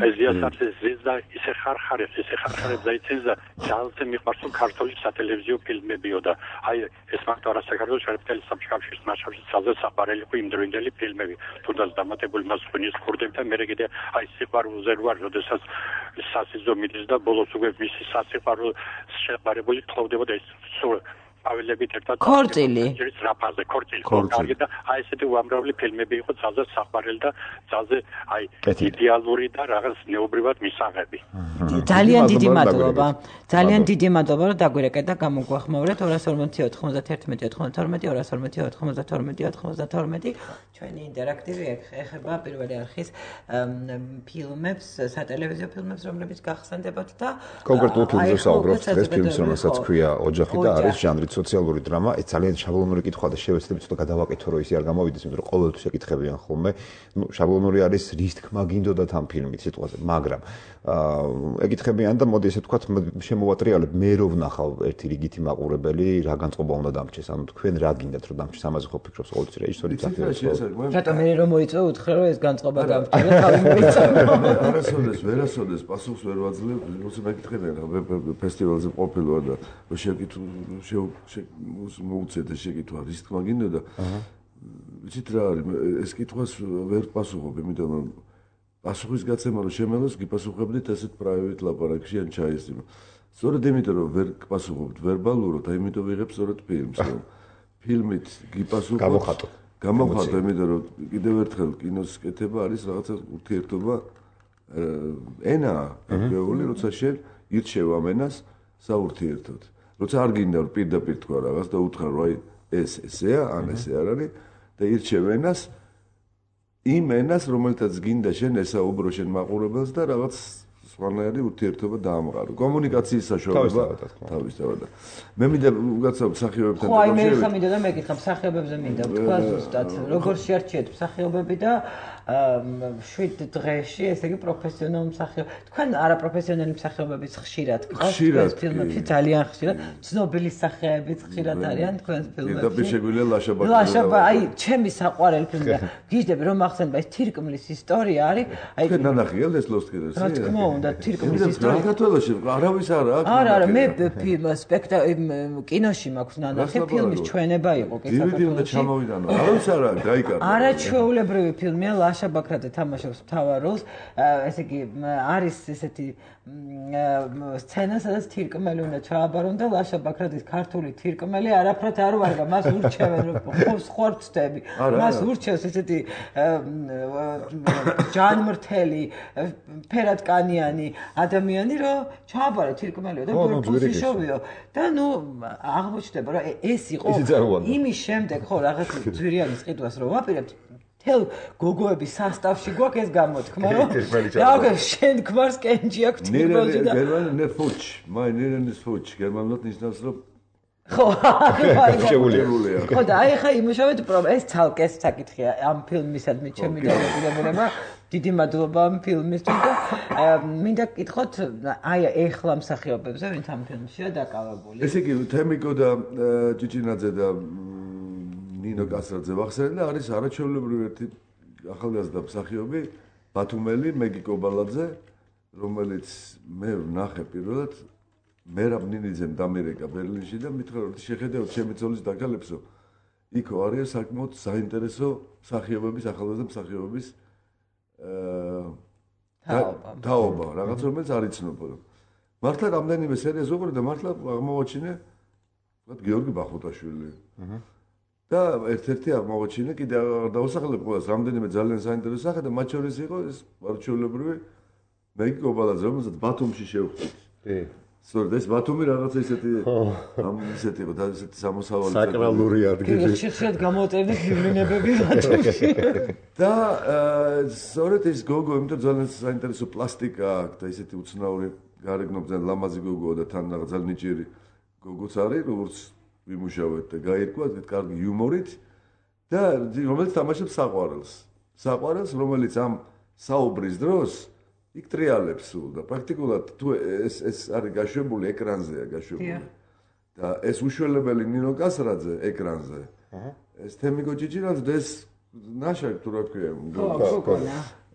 E: ეს დიასახლის ზიზდა ისე ხარხარებს დაიცინს და ძალზე მიყვარს ქართული სატელევიზიო ფილმებიო და აი ეს მარტო არა საქართველოს შეერთებული საბჭოების მასშტაბში ძალზე საყვარელი იყო იმდროინდელი ფილმები თუნდაც დამატებული მასწვენის ქურდებთან მე კიდე აი სიყვარულზე ვარ როდესაც სასიზო მიდის და ბოლოს უკვე მისი სასიყვარულო შეყარებული თხოვდებოდა ეს ავილებით ერთად
B: ქორწილი
E: რაფაზე ქორწილი და აი ესეთი უამრავი ფილმები იყო ძალზე საყვარელი და ძალზე აი იდეალური და რაღაც ნეობრივად მისაღები
B: ძალიან დიდი მადლობა რომ დაგვირეკეთ და გამოგვახმაურეთ 240 91 92 240 ჩვენი ინტერაქტივი ეხება პირველი არხის ფილმებს სატელევიზიო ფილმებს რომლებიც გახსენდებათ და
C: კონკრეტულ ფილმებზე საუბრობთ ეს ფილმს რომელსაც ქვია ოჯახი და არის ჟანრი სოციალური დრამა, ეს ძალიან შაბლონური კითხვა და შევეცდები ცოტა გადავაკეთო, რომ ისე არ გამოვიდეს, იმიტომ რომ ყოველთვის ეკითხებიან ხოლმე. ნუ შაბლონური არის რის თქმა გინდოდათ ამ ფილმით სიტყვაზე, მაგრამ ეკითხებიან და მოდი ესე ვთქვათ, შემოვატრიალებ, მე რო ვნახავ ერთი რიგითი მაყურებელი, რა განწყობა უნდა დამჭეს, ანუ თქვენ რა გინდათ რომ დამჭეს, ამაზე ხო ფიქრობს ყოველთვის რეჟისორი
B: წახდება. რატომ მე რომ მოიწვე უთხრე რომ ეს განწყობა დამჭერა, თავი მოიწვე.
D: ვერასოდეს პასუხს ვერ ვაძლევ, როცა მეკითხებიან, ფესტივალზე ყოფილვარ და მოუწევთ შეკითხვა რის თქმა გინდოდა. ვიცით რა არის, ეს კითხვას ვერ პასუხობ, იმიტომ რომ პასუხის გაცემა რომ შემელოს, გიპასუხებდით ესეთ პრაივეტ ლაპარაკში ან ჩაის. სწორედ იმიტომ რომ ვერ გპასუხობთ ვერბალურად, აიმიტომ ვიღებ სწორედ ფილმს, რომ ფილმით გიპასუხოთ. გამოხატო, იმიტომ რომ კიდევ ერთხელ კინოს კეთება არის რაღაცა ურთიერთობა ენა, გეული, როცა შენ ირჩევ ამ ენას საურთიერთოდ. როცა არ გინდა რომ პირდაპირ თქვა რაღაც და უთხრა რომ აი ესეა, ან ესე არ არის და ირჩევ ენას იმ ენას რომელთაც გინდა შენ ესაუბრო შენ მაყურებელს და რაღაც სხვანაირი ურთიერთობა დაამყარო. კომუნიკაციის საშუალება თავისთავად. მე მინდა უგაცნობ მსახიობებთან
B: ხო, აი მე ხა მინდა და მეკითხა მსახიობებზე მინდა თქვა ზუსტად როგორ შეარჩიეთ მსახიობები და 7 დღეში, ესე იგი პროფესიონალური მსახიობი. თქვენ არაპროფესიონალი მსახიობებიც ხშირად გყავს
D: ხშირად
B: ფილმებში, ძალიან ხშირად. ცნობილი სახეებიც ხშირად არიან თქვენს ფილმებში.
D: პირდაპირ შეგვიძლია ლაშა ბაკრაძე.
B: აი, ჩემი საყვარელი ფილმია. გიждები რომ ახსენებ ეს თირკმლის ისტორია არის. აი,
D: თქვენ ნანახიებთ ეს ლოსტკერეს?
B: რა თქმა უნდა, თირკმლის ისტორია.
D: საქართველოში არავის არა აქვს.
B: არა, მე კინოში მაქვს ნანახი, ფილმის ჩვენება იყო კი
D: საქართველოში. DVD უნდა ჩამოვიდანო. არავის არა აქვს, დაიკარგა.
B: არაჩვეულებრივი ფილმია, ლაშა ბაქრაძე თამაშობს მთავარ როლს. ესე იგი არის ესეთი სცენა, სადაც თირკმელი უნდა ჩააბარონ და ლაშა ბაქრაძის ქართული თირკმელი არაფრად არ ვარგა, მას ურჩევენ ხორცდები. მას ურჩევს ესეთი ჯანმრთელი, ფერადკანიანი ადამიანი, რომ ჩააბარა თირკმელიო და ბურბულიშოვიო და აღმოჩნდება, რომ ეს იყო იმის შემდეგ, ხო, რაღაც ძვირიანის ყიდვას რო ვაპირებთ თელ გოგოების სასტავში გვაქვს ეს გამოთქმა, რომ რა შენ ქმარს კენჭი აქვს თირკმელში და
D: გერმანულ ფუჩ, მაინერენის ფუჩ, გერმანულად ნიშნავს რომ
B: ხო,
D: შეუულია.
B: ხო და აი ხა იმუშავეთ ეს ცალკე საკითხია ამ ფილმისადმი ჩემი დადებულება. დიდი მადლობა ამ ფილმისთვის და მინდა გკითხოთ აი ეხლა მსახიობებზე ვინც ამ ფილმშია დაკავებული.
D: ესე იგი თემიკო და ჭიჭინაძე და ნინო კასრაძე ვახსენე და არის არაჩვეულებრივი ერთი ახალგაზრდა მსახიობი ბათუმელი მეგი კობალაძე, რომელიც მე ვნახე პირველად მერაბ ნინიძემ დამერეკა ბერლინში და მითხრა რომ შეხედავთ ჩემი ძოლის დაკალებსო იქო არის საკმაოდ საინტერესო მსახიობების ახალგაზრდა მსახიობების თაობა რაღაც რომელიც არ იცნობოდა. მართლა რამდენიმე სერიას უყურე და მართლა აღმოაჩინე ვთქვათ გიორგი ბახუტაშვილი. და ერთ-ერთი აღმოაჩინე კიდე დავუსახელებ ყველას რამდენიმე ძალიან საინტერესო სახე და მათ შორის იყო ეს არჩეულებრივი მეგი კობალაძე რომელსაც ბათუმში შევხვდით. სწორედ ეს ბათუმი რაღაცა ისეთი ისეთი იყო და ისეთი სამოსავალი
A: საკრალური ადგილი.
B: ხშირად გამოვწერდი ფილმებები ბათუმში.
D: და სწორედ ეს გოგო იმიტომ ძალიან საინტერესო პლასტიკა აქვს და ისეთი უცნაური გარეგნობით ძალიან ლამაზი გოგოა და თან რაღაც ძალიან ნიჭიერი გოგოც არის როგორც ვიმუშავეთ და გაირკვა ეს კარგი იუმორით და რომელიც თამაშობს საყვარელს რომელიც ამ საუბრის დროს იქ ტრიალებს სულ და პრაქტიკულად თუ ეს არის გაშვებული ეკრანზეა გაშვებული და ეს უშველებელი ნინო კასრაძე ეკრანზე ეს თემიკო ჭიჭინაძე და ეს ნაშაკ თუ რა ქვია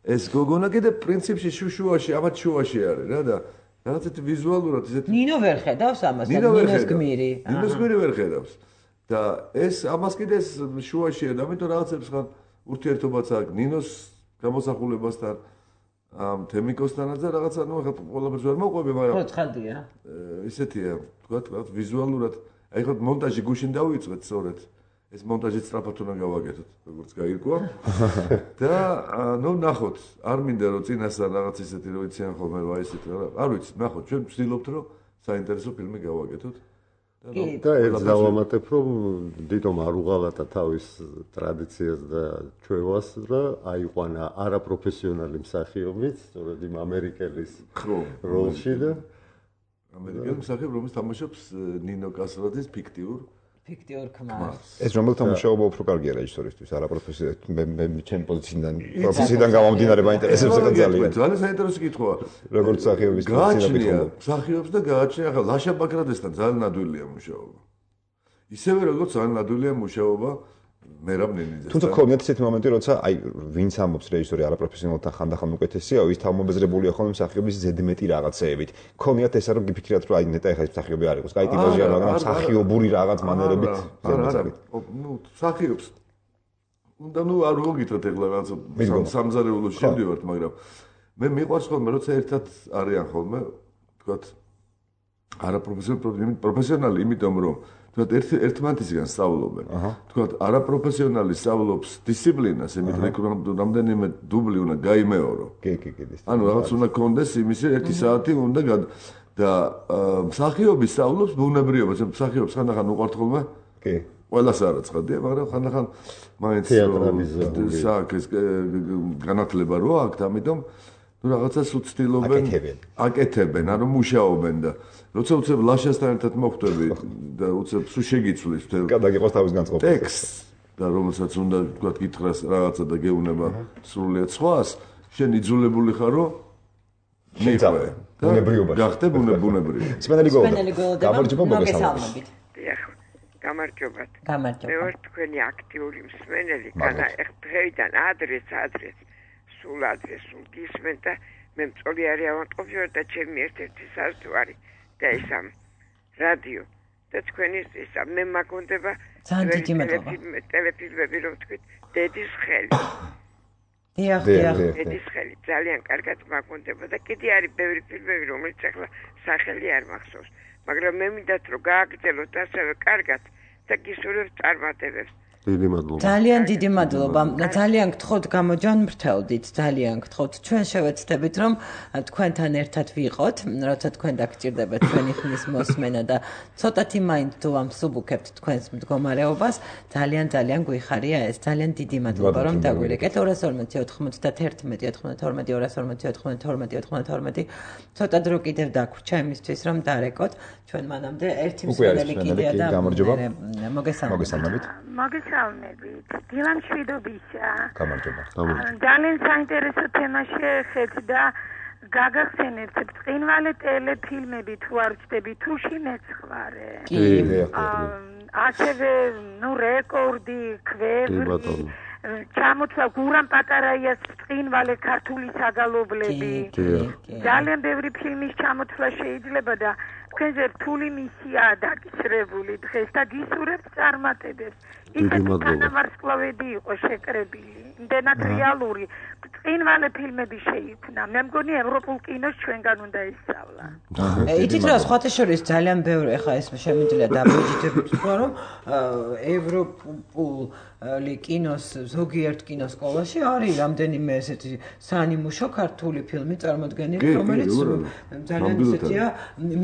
D: ეს გოგონა კიდე პრინციპში შუშუაში ამათ შუაში არის რა და რაღაცეთ ვიზუალურად ისეთი
B: ნინო ვერ ხედავს ამას და ნინოს გმირი
D: ვერ ხედავს და ეს ამას კიდე ეს შუაშია და ამიტომ რაღაცებს ხან ურთიერთობაც აქვს ნინოს გამოსახულებასთან ამ თემიკოსთანაც და რაღაცა ნუ ახლა ყველაფერს ვერ მოყვები მაგრამ
B: ხო ცხადია
D: ისეთია თქვათ ვიზუალურად აი ხო მონტაჟი გუშინ დავიწყეთ სწორედ ეს მონტაჟი სწრაფად უნდა გავაკეთოთ როგორც გაირკვა და ნუ ნახოთ არ მინდა რომ წინასწარ რაღაც ისეთი რო იციან ხოლმე რა ისეთი რა არ ვიცი ნახოთ ჩვენ ვცდილობთ რომ საინტერესო ფილმი გავაკეთოთ
A: და ერთ დავამატებ რომ დიდომ არ უღალატა თავის ტრადიციას და ჩვევას და აიყვანა არაპროფესიონალი მსახიობიც სწორედ იმ ამერიკელის როლში და
D: ამერიკელი მსახიობი რომელიც თამაშობს ნინო კასრაძის ფიქტიურ
B: ქმარს.
C: ეს რომელთა მუშაობა უფრო კარგია რეჟისორისთვის, არაპროფესიონალი მე ჩემი პროფესიიდან გამომდინარე მაინტერესებს ძალიან.
D: ძალიან საინტერესო კითხვაა.
C: როგორც მსახიობის
D: გააჩნია მსახიობს და გააჩნია ახლა ლაშა ბაქრაძესთან ძალიან ნადვილია მუშაობა. ისევე როგორც ძალიან ნადვილია მუშაობა მერაბ ნინიძესთან.
C: თუმცა ქონიათ ისეთი მომენტი, როცა აი ვინც ამბობს რეჟისორი არაპროფესიონალთან ხანდახან უკეთესია, ის თავმობეზრებულია ხოლმე მსახიობის ზედმეტი რაღაცეებით. ქონიათ ესა რომ გიფიქრათ რომ აი ნეტა ეხლა ის მსახიობი არ იყოს, კაი ტიპაჟია, მაგრამ მსახიობური რაღაც მანერებით ზედმეტად.
D: ნუ მსახიობს. უნდა ნუ არ ვოგითხრათ ეხლა რაღაც სამზარეულოში შევდივართ, მაგრამ მე მიყვარს ხოლმე როცა ერთად არიან ხოლმე, თქვათ არაპროფესიონალი, იმიტომ რომ თქვათ ერთმანეთისგან სწავლობენ. თქვათ არაპროფესიონალი სწავლობს დისციპლინას, იმიტომ რომ რამდენიმე დუბლი უნდა გაიმეორო.
C: კი.
D: ანუ რაღაც უნდა კონდეს იმისი 1 საათი უნდა და მსახიობი სწავლობს ბუნებრიობას, მსახიობს ხანდახან უყვართ ხოლმე?
C: კი.
D: ყველას არ აცხადია, მაგრამ ხანდახან მაინც საქმეს განათლება რო აქვს, ამიტომ ნუ რაღაცას უცდილობენ აკეთებენ, ანუ მუშაობენ და როცა უცებ ლაშასთან ერთად მოხვდები და უცებ სულ შეგიცვლის
C: გადაგიყოს თავის განწყობას.
D: ტექსტს და რომელსაც უნდა თქვა გითხრას რაღაცა და გეუბნება სრულიად სხვას, შენ იძულებული ხარ რომ მიყვე.
C: ბუნებრიობაში.
D: გახდე ბუნებრივი.
C: სპენელი გოლდა. გამარჯობა მოგესალმებით.
F: დიახ. გამარჯობათ.
B: გამარჯობა.
F: მე ვარ თქვენი აქტიური მსმენელი, განა დღეიდან ადრეს სულ გისმენთ და მე მწოლი არის ავანტყოფიო და ჩემი ერთ-ერთი საზღვარი და ეს ამ რადიო და თქვენი ისა მე მაგონდება ტელეფილმები რომ თქვით დედის ხელი.
B: დიახ.
F: დედის ხელი ძალიან კარგად მაგონდება და კიდე არის ბევრი ფილმები რომელიც ახლა სახელი არ მახსოვს, მაგრამ მე მინდათ რომ გააგრძელოთ ასევე კარგად და გისურვებთ წარმატებებს.
A: დიდი მადლობა.
B: ძალიან დიდი მადლობა. ძალიან გთხოვთ გამოჯანმრთელდით, ძალიან გთხოვთ. ჩვენ შევეცდებით რომ თქვენთან ერთად ვიყოთ, როცა თქვენ დაგჭირდებათ თქვენი ხმის მოსმენა და ცოტათი მაინც თუ ამსუბუქებთ თქვენს მდგომარეობას, ძალიან გვიხარია ეს. ძალიან დიდი მადლობა რომ დაგვირეკეთ. 240 91 92 240 92 ცოტა დრო კიდევ დაგვრჩა იმისთვის რომ დარეკოთ. ჩვენ მანამდე ერთი მსმენელი კიდეა და მოგესალმებით.
G: მოგესალმებით. დილამ შვიდობისა.
C: გამარჯობა.
G: ძალიან საინტერესო თემა შეეხეთ და გაგახსენებთ ბრწყინვალე ტელეფილმები თუ არ ვჩდები თუში მეცხვარე.
B: კი.
G: ასევე რეკორდი, ქვევრი. ჩამოთვლა გურამ პატარაიას ბრწყინვალე ქართული საგალობლები. ძალიან ბევრი ფილმის ჩამოთვლა შეიძლება და თქვენზე რთული მისიაა დაკისრებული დღეს და გისურვებთ წარმატებებს.
A: დიდი მადლობა.
G: ვარსკვლავედი იყო შეკრებილი. იმდენად რეალური ბრწყინვალე ფილმები შეიქმნა. მე მგონი ევროპულ კინოს ჩვენგან უნდა ისწავლა.
B: იცით რა, სხვათა შორის ძალიან ბევრი ახლა ეს შემიძლია დაბეჭდებით თქვა რომ ევროპულ კინოს ზოგიერთ კინოსკოლაში არის რამდენიმე ესეთი საანიმუშო ქართული ფილმი წარმოდგენილი, რომელიც ძალიან ესეთია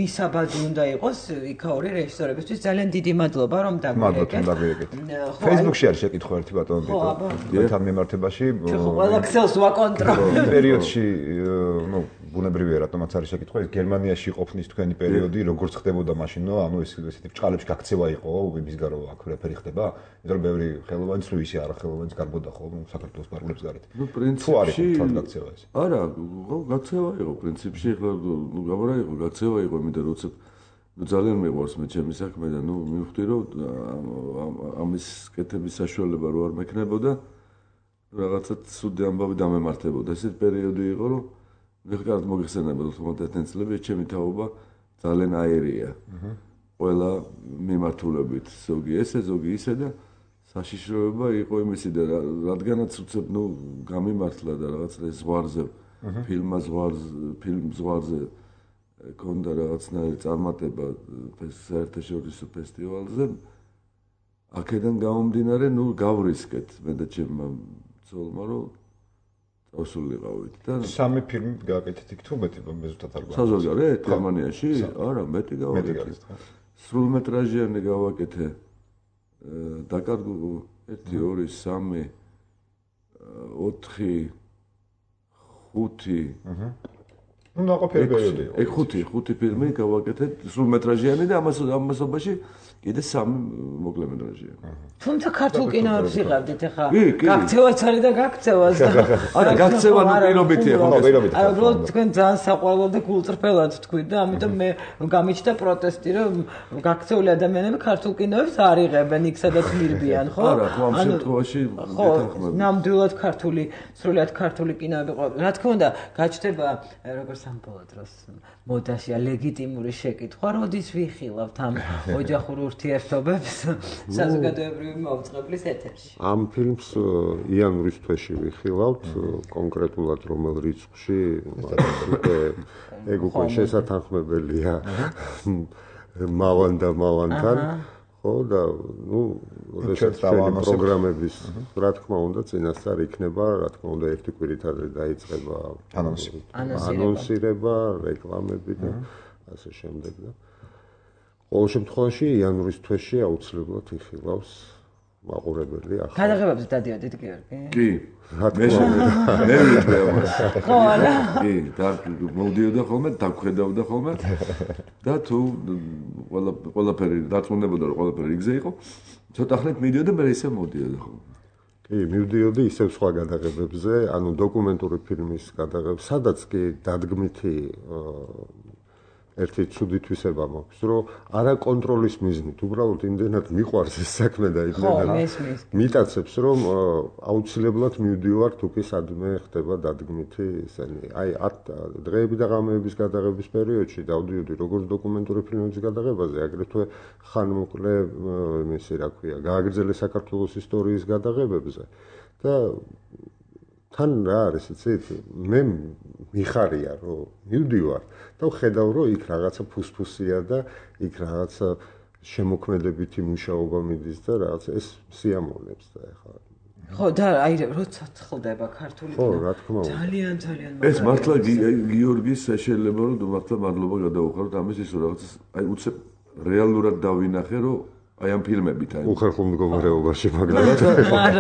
B: მისაბაძი უნდა იყოს იქაური რეჟისორებისთვის. ძალიან დიდი მადლობა რომ დაგვირეკეთ.
C: Facebook-ში არის შეკითხვა ერთი ბატონო ბიტო. თან მიმართებაში
B: ყველა ქსელს ვაკონტროლებ.
C: პერიოდში, ბუნებრივია რატომაც არის შეკითხვა, გერმანიაში ყოფნის თქვენი პერიოდი როგორც ხდებოდა მაშინ, ესეთი ბრჭყალებში გაქცევა იყო, იმისგან რომ აქ რეფერი ხდება, იმიტომ რომ ბევრი ხელოვანი სუისი არა ხელოვანიც გარბოდა ხო, საქართველოს პარკლებს გარეთ.
D: პრინციპში
C: გაქცევა ეს.
D: არა, გაქცევა იყო პრინციპში, ახლა გაბარა იყო, გაქცევა იყო, იმიტომ რომ ძალიან მეყვარს მე ჩემი საქმე და მივხვდი რომ ამის კეთების საშუალება რო არ მექნებოდა რაღაცა ცუდი ამბავი დამემართებოდა. ესეთ პერიოდი იყო რომ ვიღართ მოგეხსენებოდა 90-იან წლებში ჩემი თაობა ძალიან აერია. ყველა მიმართულებით ზოგი ესე ზოგი ისე და საშიშროება იყო იმისი და რადგანაც უცებ გამიმართლა და რაღაც ზღვარზე ფილმ ზღვარზე კონდა რაღაცნაირი წარმატება საერთაშორისო ფესტივალზე აქედან გამომდინარე გავრისკეთ მე და ჩემმა ცოლმა რომ წავსულიყავით და
C: სამი ფილმი გააკეთეთ იქ თუ მეტი მეზუსტად არ გვაქვს
D: საზოგადოებრივ გერმანიაში არა მეტი გავაკეთე სრულმეტრაჟიანი გავაკეთე დაკარგო 1 2 3 4 5 ნაყოფიერი პერიოდი. 5 ფილმი გავაკეთეთ სრულმეტრაჟიანი და ამასობაში კიდე 3 მოკლემეტრაჟიანი.
B: თუმცა ქართულ კინოებს იღებდით ახლა. გაქცევაც არის და გაქცევას და
D: არა გაქცევა პირობითია ხო?
B: არა, უბრალოდ თქვენ ძალიან საყვარლად და გულწრფელად თქვით და ამიტომ მე გამიჩნდა პროტესტი რომ გაქცეული ადამიანები ქართულ კინოებს არ იღებენ, იქ სადაც მირბიან, ხო?
D: არა, ხო ამ შემთხვევაში
B: გეთანხმები. ნამდვილად სრულიად ქართული კინოები ყო. რა თქმა უნდა, გაჩნდება როგორც სამბოლოო დროს მოდაშია ლეგიტიმური შეკითხვა, როდის ვიხილავთ ამ ოჯახურ ურთიერთობებს საზოგადოებრივი მოუწყებლის ეთერში.
A: ამ ფილმს იანვრის თვეში ვიხილავთ, კონკრეტულად რომელ რიცხვში, ეგ უკვე შესათანხმებელია მავან და მავანთან. ხო და როდესაც პროგრამების რა თქმა უნდა წინასწარ იქნება, რა თქმა უნდა ერთი კვირით ადრე დაიწყება ანონსირება, რეკლამები და ასე შემდეგ და ყოველ შემთხვევაში იანვრის თვეში აუცილებლად იხილავს მაყურებელი ახლა.
B: გადაღებებზე დადიოდით გიორგი?
D: კი. მე ვიტყვი ამას.
B: ხო, არა.
D: კი, და მოვდიოდა ხოლმე, დაგვხედავდა ხოლმე და თუ ყველაფერი დაწუნდებოდა რომ ყველაფერი იგზე იყო, ცოტა ხნით მიდიოდა მე ისე მოვდიოდა ხოლმე.
A: კი, მივდიოდი ისევ სხვა გადაღებებზე, ანუ დოკუმენტური ფილმის გადაღებებზე, სადაც კი დადგმითი ერთი ცუდი თვისება მაქვს, რომ არა კონტროლის მიზნით, უბრალოდ იმდენად მიყვარს ეს საქმე და იმდენად მიტაცებს, რომ აუცილებლად მივდივარ თუ კი სადმე ხდება დადგმითი ისენი. აი, დღეები და ღამეების გადაღების პერიოდში დავდიოდი როგორც დოკუმენტური ფილმების გადაღებაზე, აგრეთვე ხანმოკლე ისე რა ქვია, გააგრძელე საქართველოს ისტორიის გადაღებებზე და თან რა არის იცით, მე მიხარია რომ მივდივარ და ვხედავ რომ იქ რაღაცა ფუსფუსია და იქ რაღაცა შემოქმედებითი მუშაობა მიდის და რაღაც ეს სიამოვნებს და ეხლა
B: ხო და აი როცა ცხლდება ქართული
A: ხო რა თქმა უნდა
B: ძალიან
D: ეს მართლა გიორგის შეიძლება რომ მართლა მადლობა გადავუხაროთ ამის ის რაღაც აი უცებ რეალურად დავინახე რომ აი ამ ფილმებით აი
A: უხერხულ მდგომარეობაში მაგრამ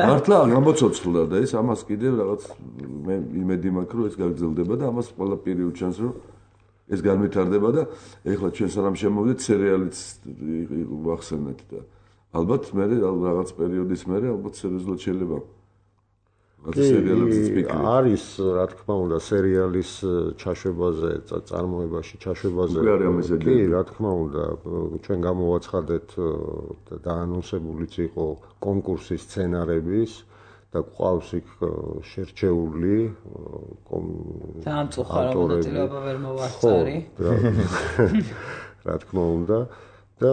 D: მართლა გამოცოცხლდა და ეს ამას კიდევ რაღაც მე იმედი მაქვს რომ ეს გაგრძელდება და ამას ყველა პერიოდ ჩანს რომ ეს განვითარდება და ეხლა ჩვენ სანამ შემოვიდეთ სერიალიც ვახსენეთ და ალბათ მე რაღაც პერიოდის მერე ალბათ სერიოზულად შეიძლება
A: არის რა თქმა უნდა სერიალის ჩაშვებაზე წარმოებაში ჩაშვებაზე კი რა თქმა უნდა ჩვენ გამოვაცხადეთ და დაანონსებულიც იყო კონკურსის სცენარების და ყავს იქ შერჩეული
B: დამწუხარა მონაწილეობა ვერ მოვასწარი
A: რა თქმა უნდა და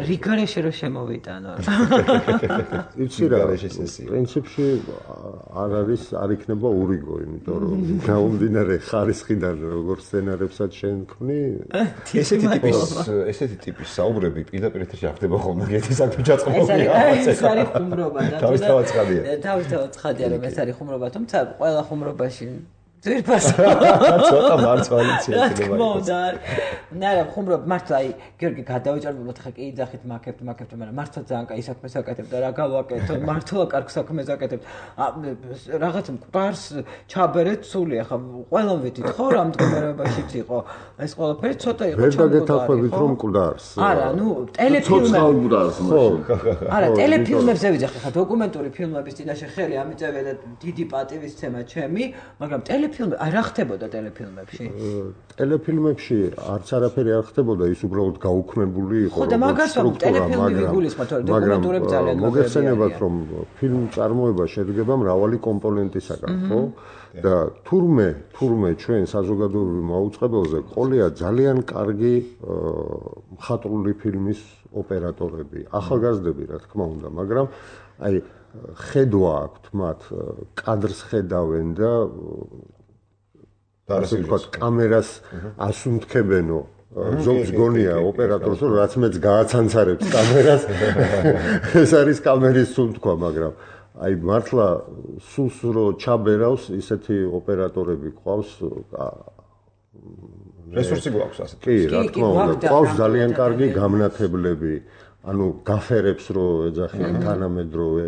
B: რიგარეში რო შემოვიტანო
A: იცი რა პრინციპში არ იქნება ურიგო იმიტომ რომ გაუმდინარე ხარისხიდან როგორ სცენარებსაც შენ ქმნი
C: ესეთი ტიპის საუბრები პირდაპირ ეთერში არ ხდება ხოლმე ერთი საქმე ჩაწყობილია
B: ეს არის ხუმრობა და
C: თავისთავად ცხადია
B: თავისთავად ცხადია რომ ეს არის ხუმრობა თუმცა ყველა ხუმრობაში ძირფას
C: ცოტა მარცვალიცია შეიძლება
B: მოდა ნარა ხუმრობა მართლა აი გიორგი გადავიჭარბებოთ ხა კი იძახით მაკებთ მაგრამ მართლა ძალიან კაი საქმეს აკეთებ და რა გავაკეთო მართლა კარგ საქმეს აკეთებ რაღაც მყარს ჩაბერეთ სული ხა ყველამ ვეთით ხო რა მდგომარეობაშიც იყო ეს ყველაფერი ცოტა იყო
A: ვერ დაგეთანხმებით რომ მყარს
B: არა ნუ ტელეფილმებს არა ტელეფილმებზე ვიძახი ხა დოკუმენტური ფილმების წინაშე ხელი ამიწევია და დიდი პატივისცემა ჩემი მაგრამ ტელეფილმები არ ხდებოდა ტელეფილმებში
A: ტელეფილმებში არც არაფერი არ ხდებოდა ის უბრალოდ გაუქმებული იყო
B: ხო და მაგას ვამბობ ტელეფილმები ვიგულისხმოთ რომ დოკუმენტურები ძალიან
A: მოგეხსენებათ რომ ფილმ წარმოება შედგება მრავალი კომპონენტისაგან ხო და თურმე ჩვენ საზოგადოებრივ მოუწყებელზე ყოლია ძალიან კარგი მხატვრული ფილმის ოპერატორები ახალგაზრდები რა თქმა უნდა მაგრამ აი ხედვა აქვთ მათ კადრს ხედავენ და ასე ვთქვათ კამერას ასუნთქებენო ზოგს გონია ოპერატორს რომ რაც მეც გააცანცარებს კამერას ეს არის კამერის სუნთქვა მაგრამ აი მართლა სულს რო ჩაბერავს ისეთი ოპერატორები ყავს
C: რესურსი გვაქვს ასე
A: კი რა თქმა უნდა ყავს ძალიან კარგი გამნათებლები ანუ გაფერებს რო ეძახიან თანამედროვე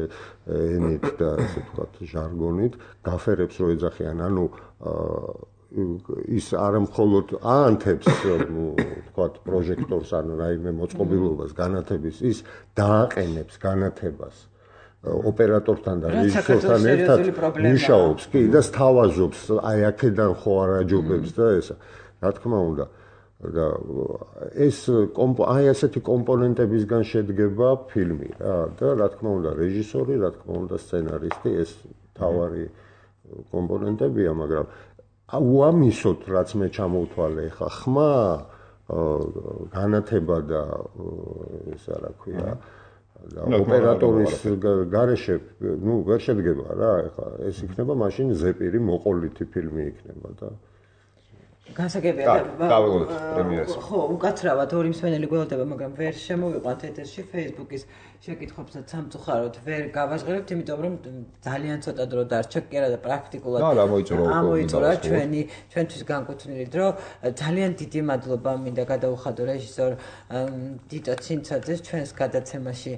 A: ენით და ასე ვთქვათ ჟარგონით გაფერებს რო ეძახიან ანუ ის არ მხოლოდ აანთებს ვთქვათ პროჟექტორს ან რაიმე მოწყობილობას განათების ის დააყენებს განათებას ოპერატორთან და რეჟისორთან ერთად მუშაობს კი და სთავაზობს აი აქედან ხო არ აჯობებს და ესა რა თქმა უნდა და ეს აი ასეთი კომპონენტებისგან შედგება ფილმი რა და რა თქმა უნდა რეჟისორი, რა თქმა უნდა სცენარისტი ეს თავარი კომპონენტებია, მაგრამ უამისოდ რაც მე ჩამოვთვალე ხა ხმა განათება და ესა რა ქვია და ოპერატორის გარეშე ნუ ვერ შედგება რა ხა ეს იქნება მაშინ ზეპირი მოყოლითი ფილმი იქნება და
B: განსაკუთრებია ხო უკაცრავად ორი მსმენელი გველოდება მაგრამ ვერ შემოვიყვანთ ეთერში Facebook-ის შეკითხვებსაც სამწუხაროდ ვერ გავაჟღერებთ იმიტომ რომ ძალიან ცოტა დრო დარჩა კი არა და პრაქტიკულად ამოიწურა ჩვენთვის განკუთვნილი დრო ძალიან დიდი მადლობა მინდა გადაუხადო რეჟისორ დიტო ცინცაძეს ჩვენს გადაცემაში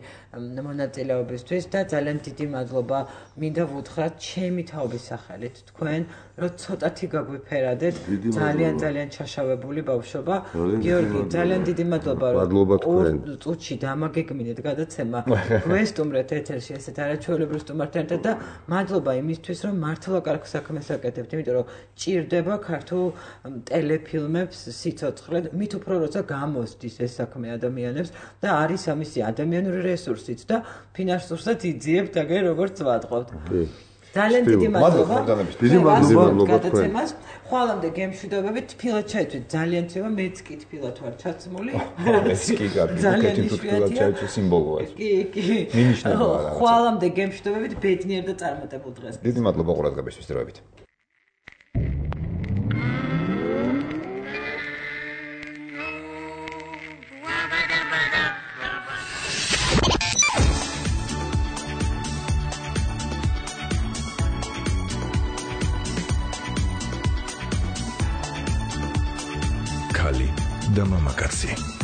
B: მონაწილეობისთვის და ძალიან დიდი მადლობა მინდა ვუთხრათ ჩემი თაობის სახელით თქვენ რომ ცოტათი გაგვიფერადეთ ძალიან ჩაშავებული ბავშვობა გიორგი ძალიან დიდი მადლობა რომ წუთში დამაგეგმინეთ გადაცემა გვესტუმრეთ ეთერში ესეთ არაჩვეულებრივ სტუმართან და მადლობა იმისთვის რომ მართლა კარგ საქმეს აკეთებთ იმიტომ რომ ჭირდება ქართულ ტელეფილმებს სიცოცხლე მით უფრო როცა გამოსდის ეს საქმე ადამიანებს და არის ამისი ადამიანური რესურსიც და ფინანსურსაც იძიებთ აგერ როგორც ვატყობთ ძალიან დიდი მადლობა.
A: დიდი მადლობა
B: გადაცემას. ხვალამდე გემშვიდობებით, თბილად ჩაიცვით ძალიან ცევა, მეც კი თბილად ვარ ჩაცმული.
C: ეს კი ძალიან თბილად ჩაიცვით სიმბოლოა.
B: კი. მინიშნებაა. ხვალამდე გემშვიდობებით, ბედნიერ და წარმატებულ დღეს.
C: დიდი მადლობა ყურადღებისთვის, დროებით.
H: და მამაკაცი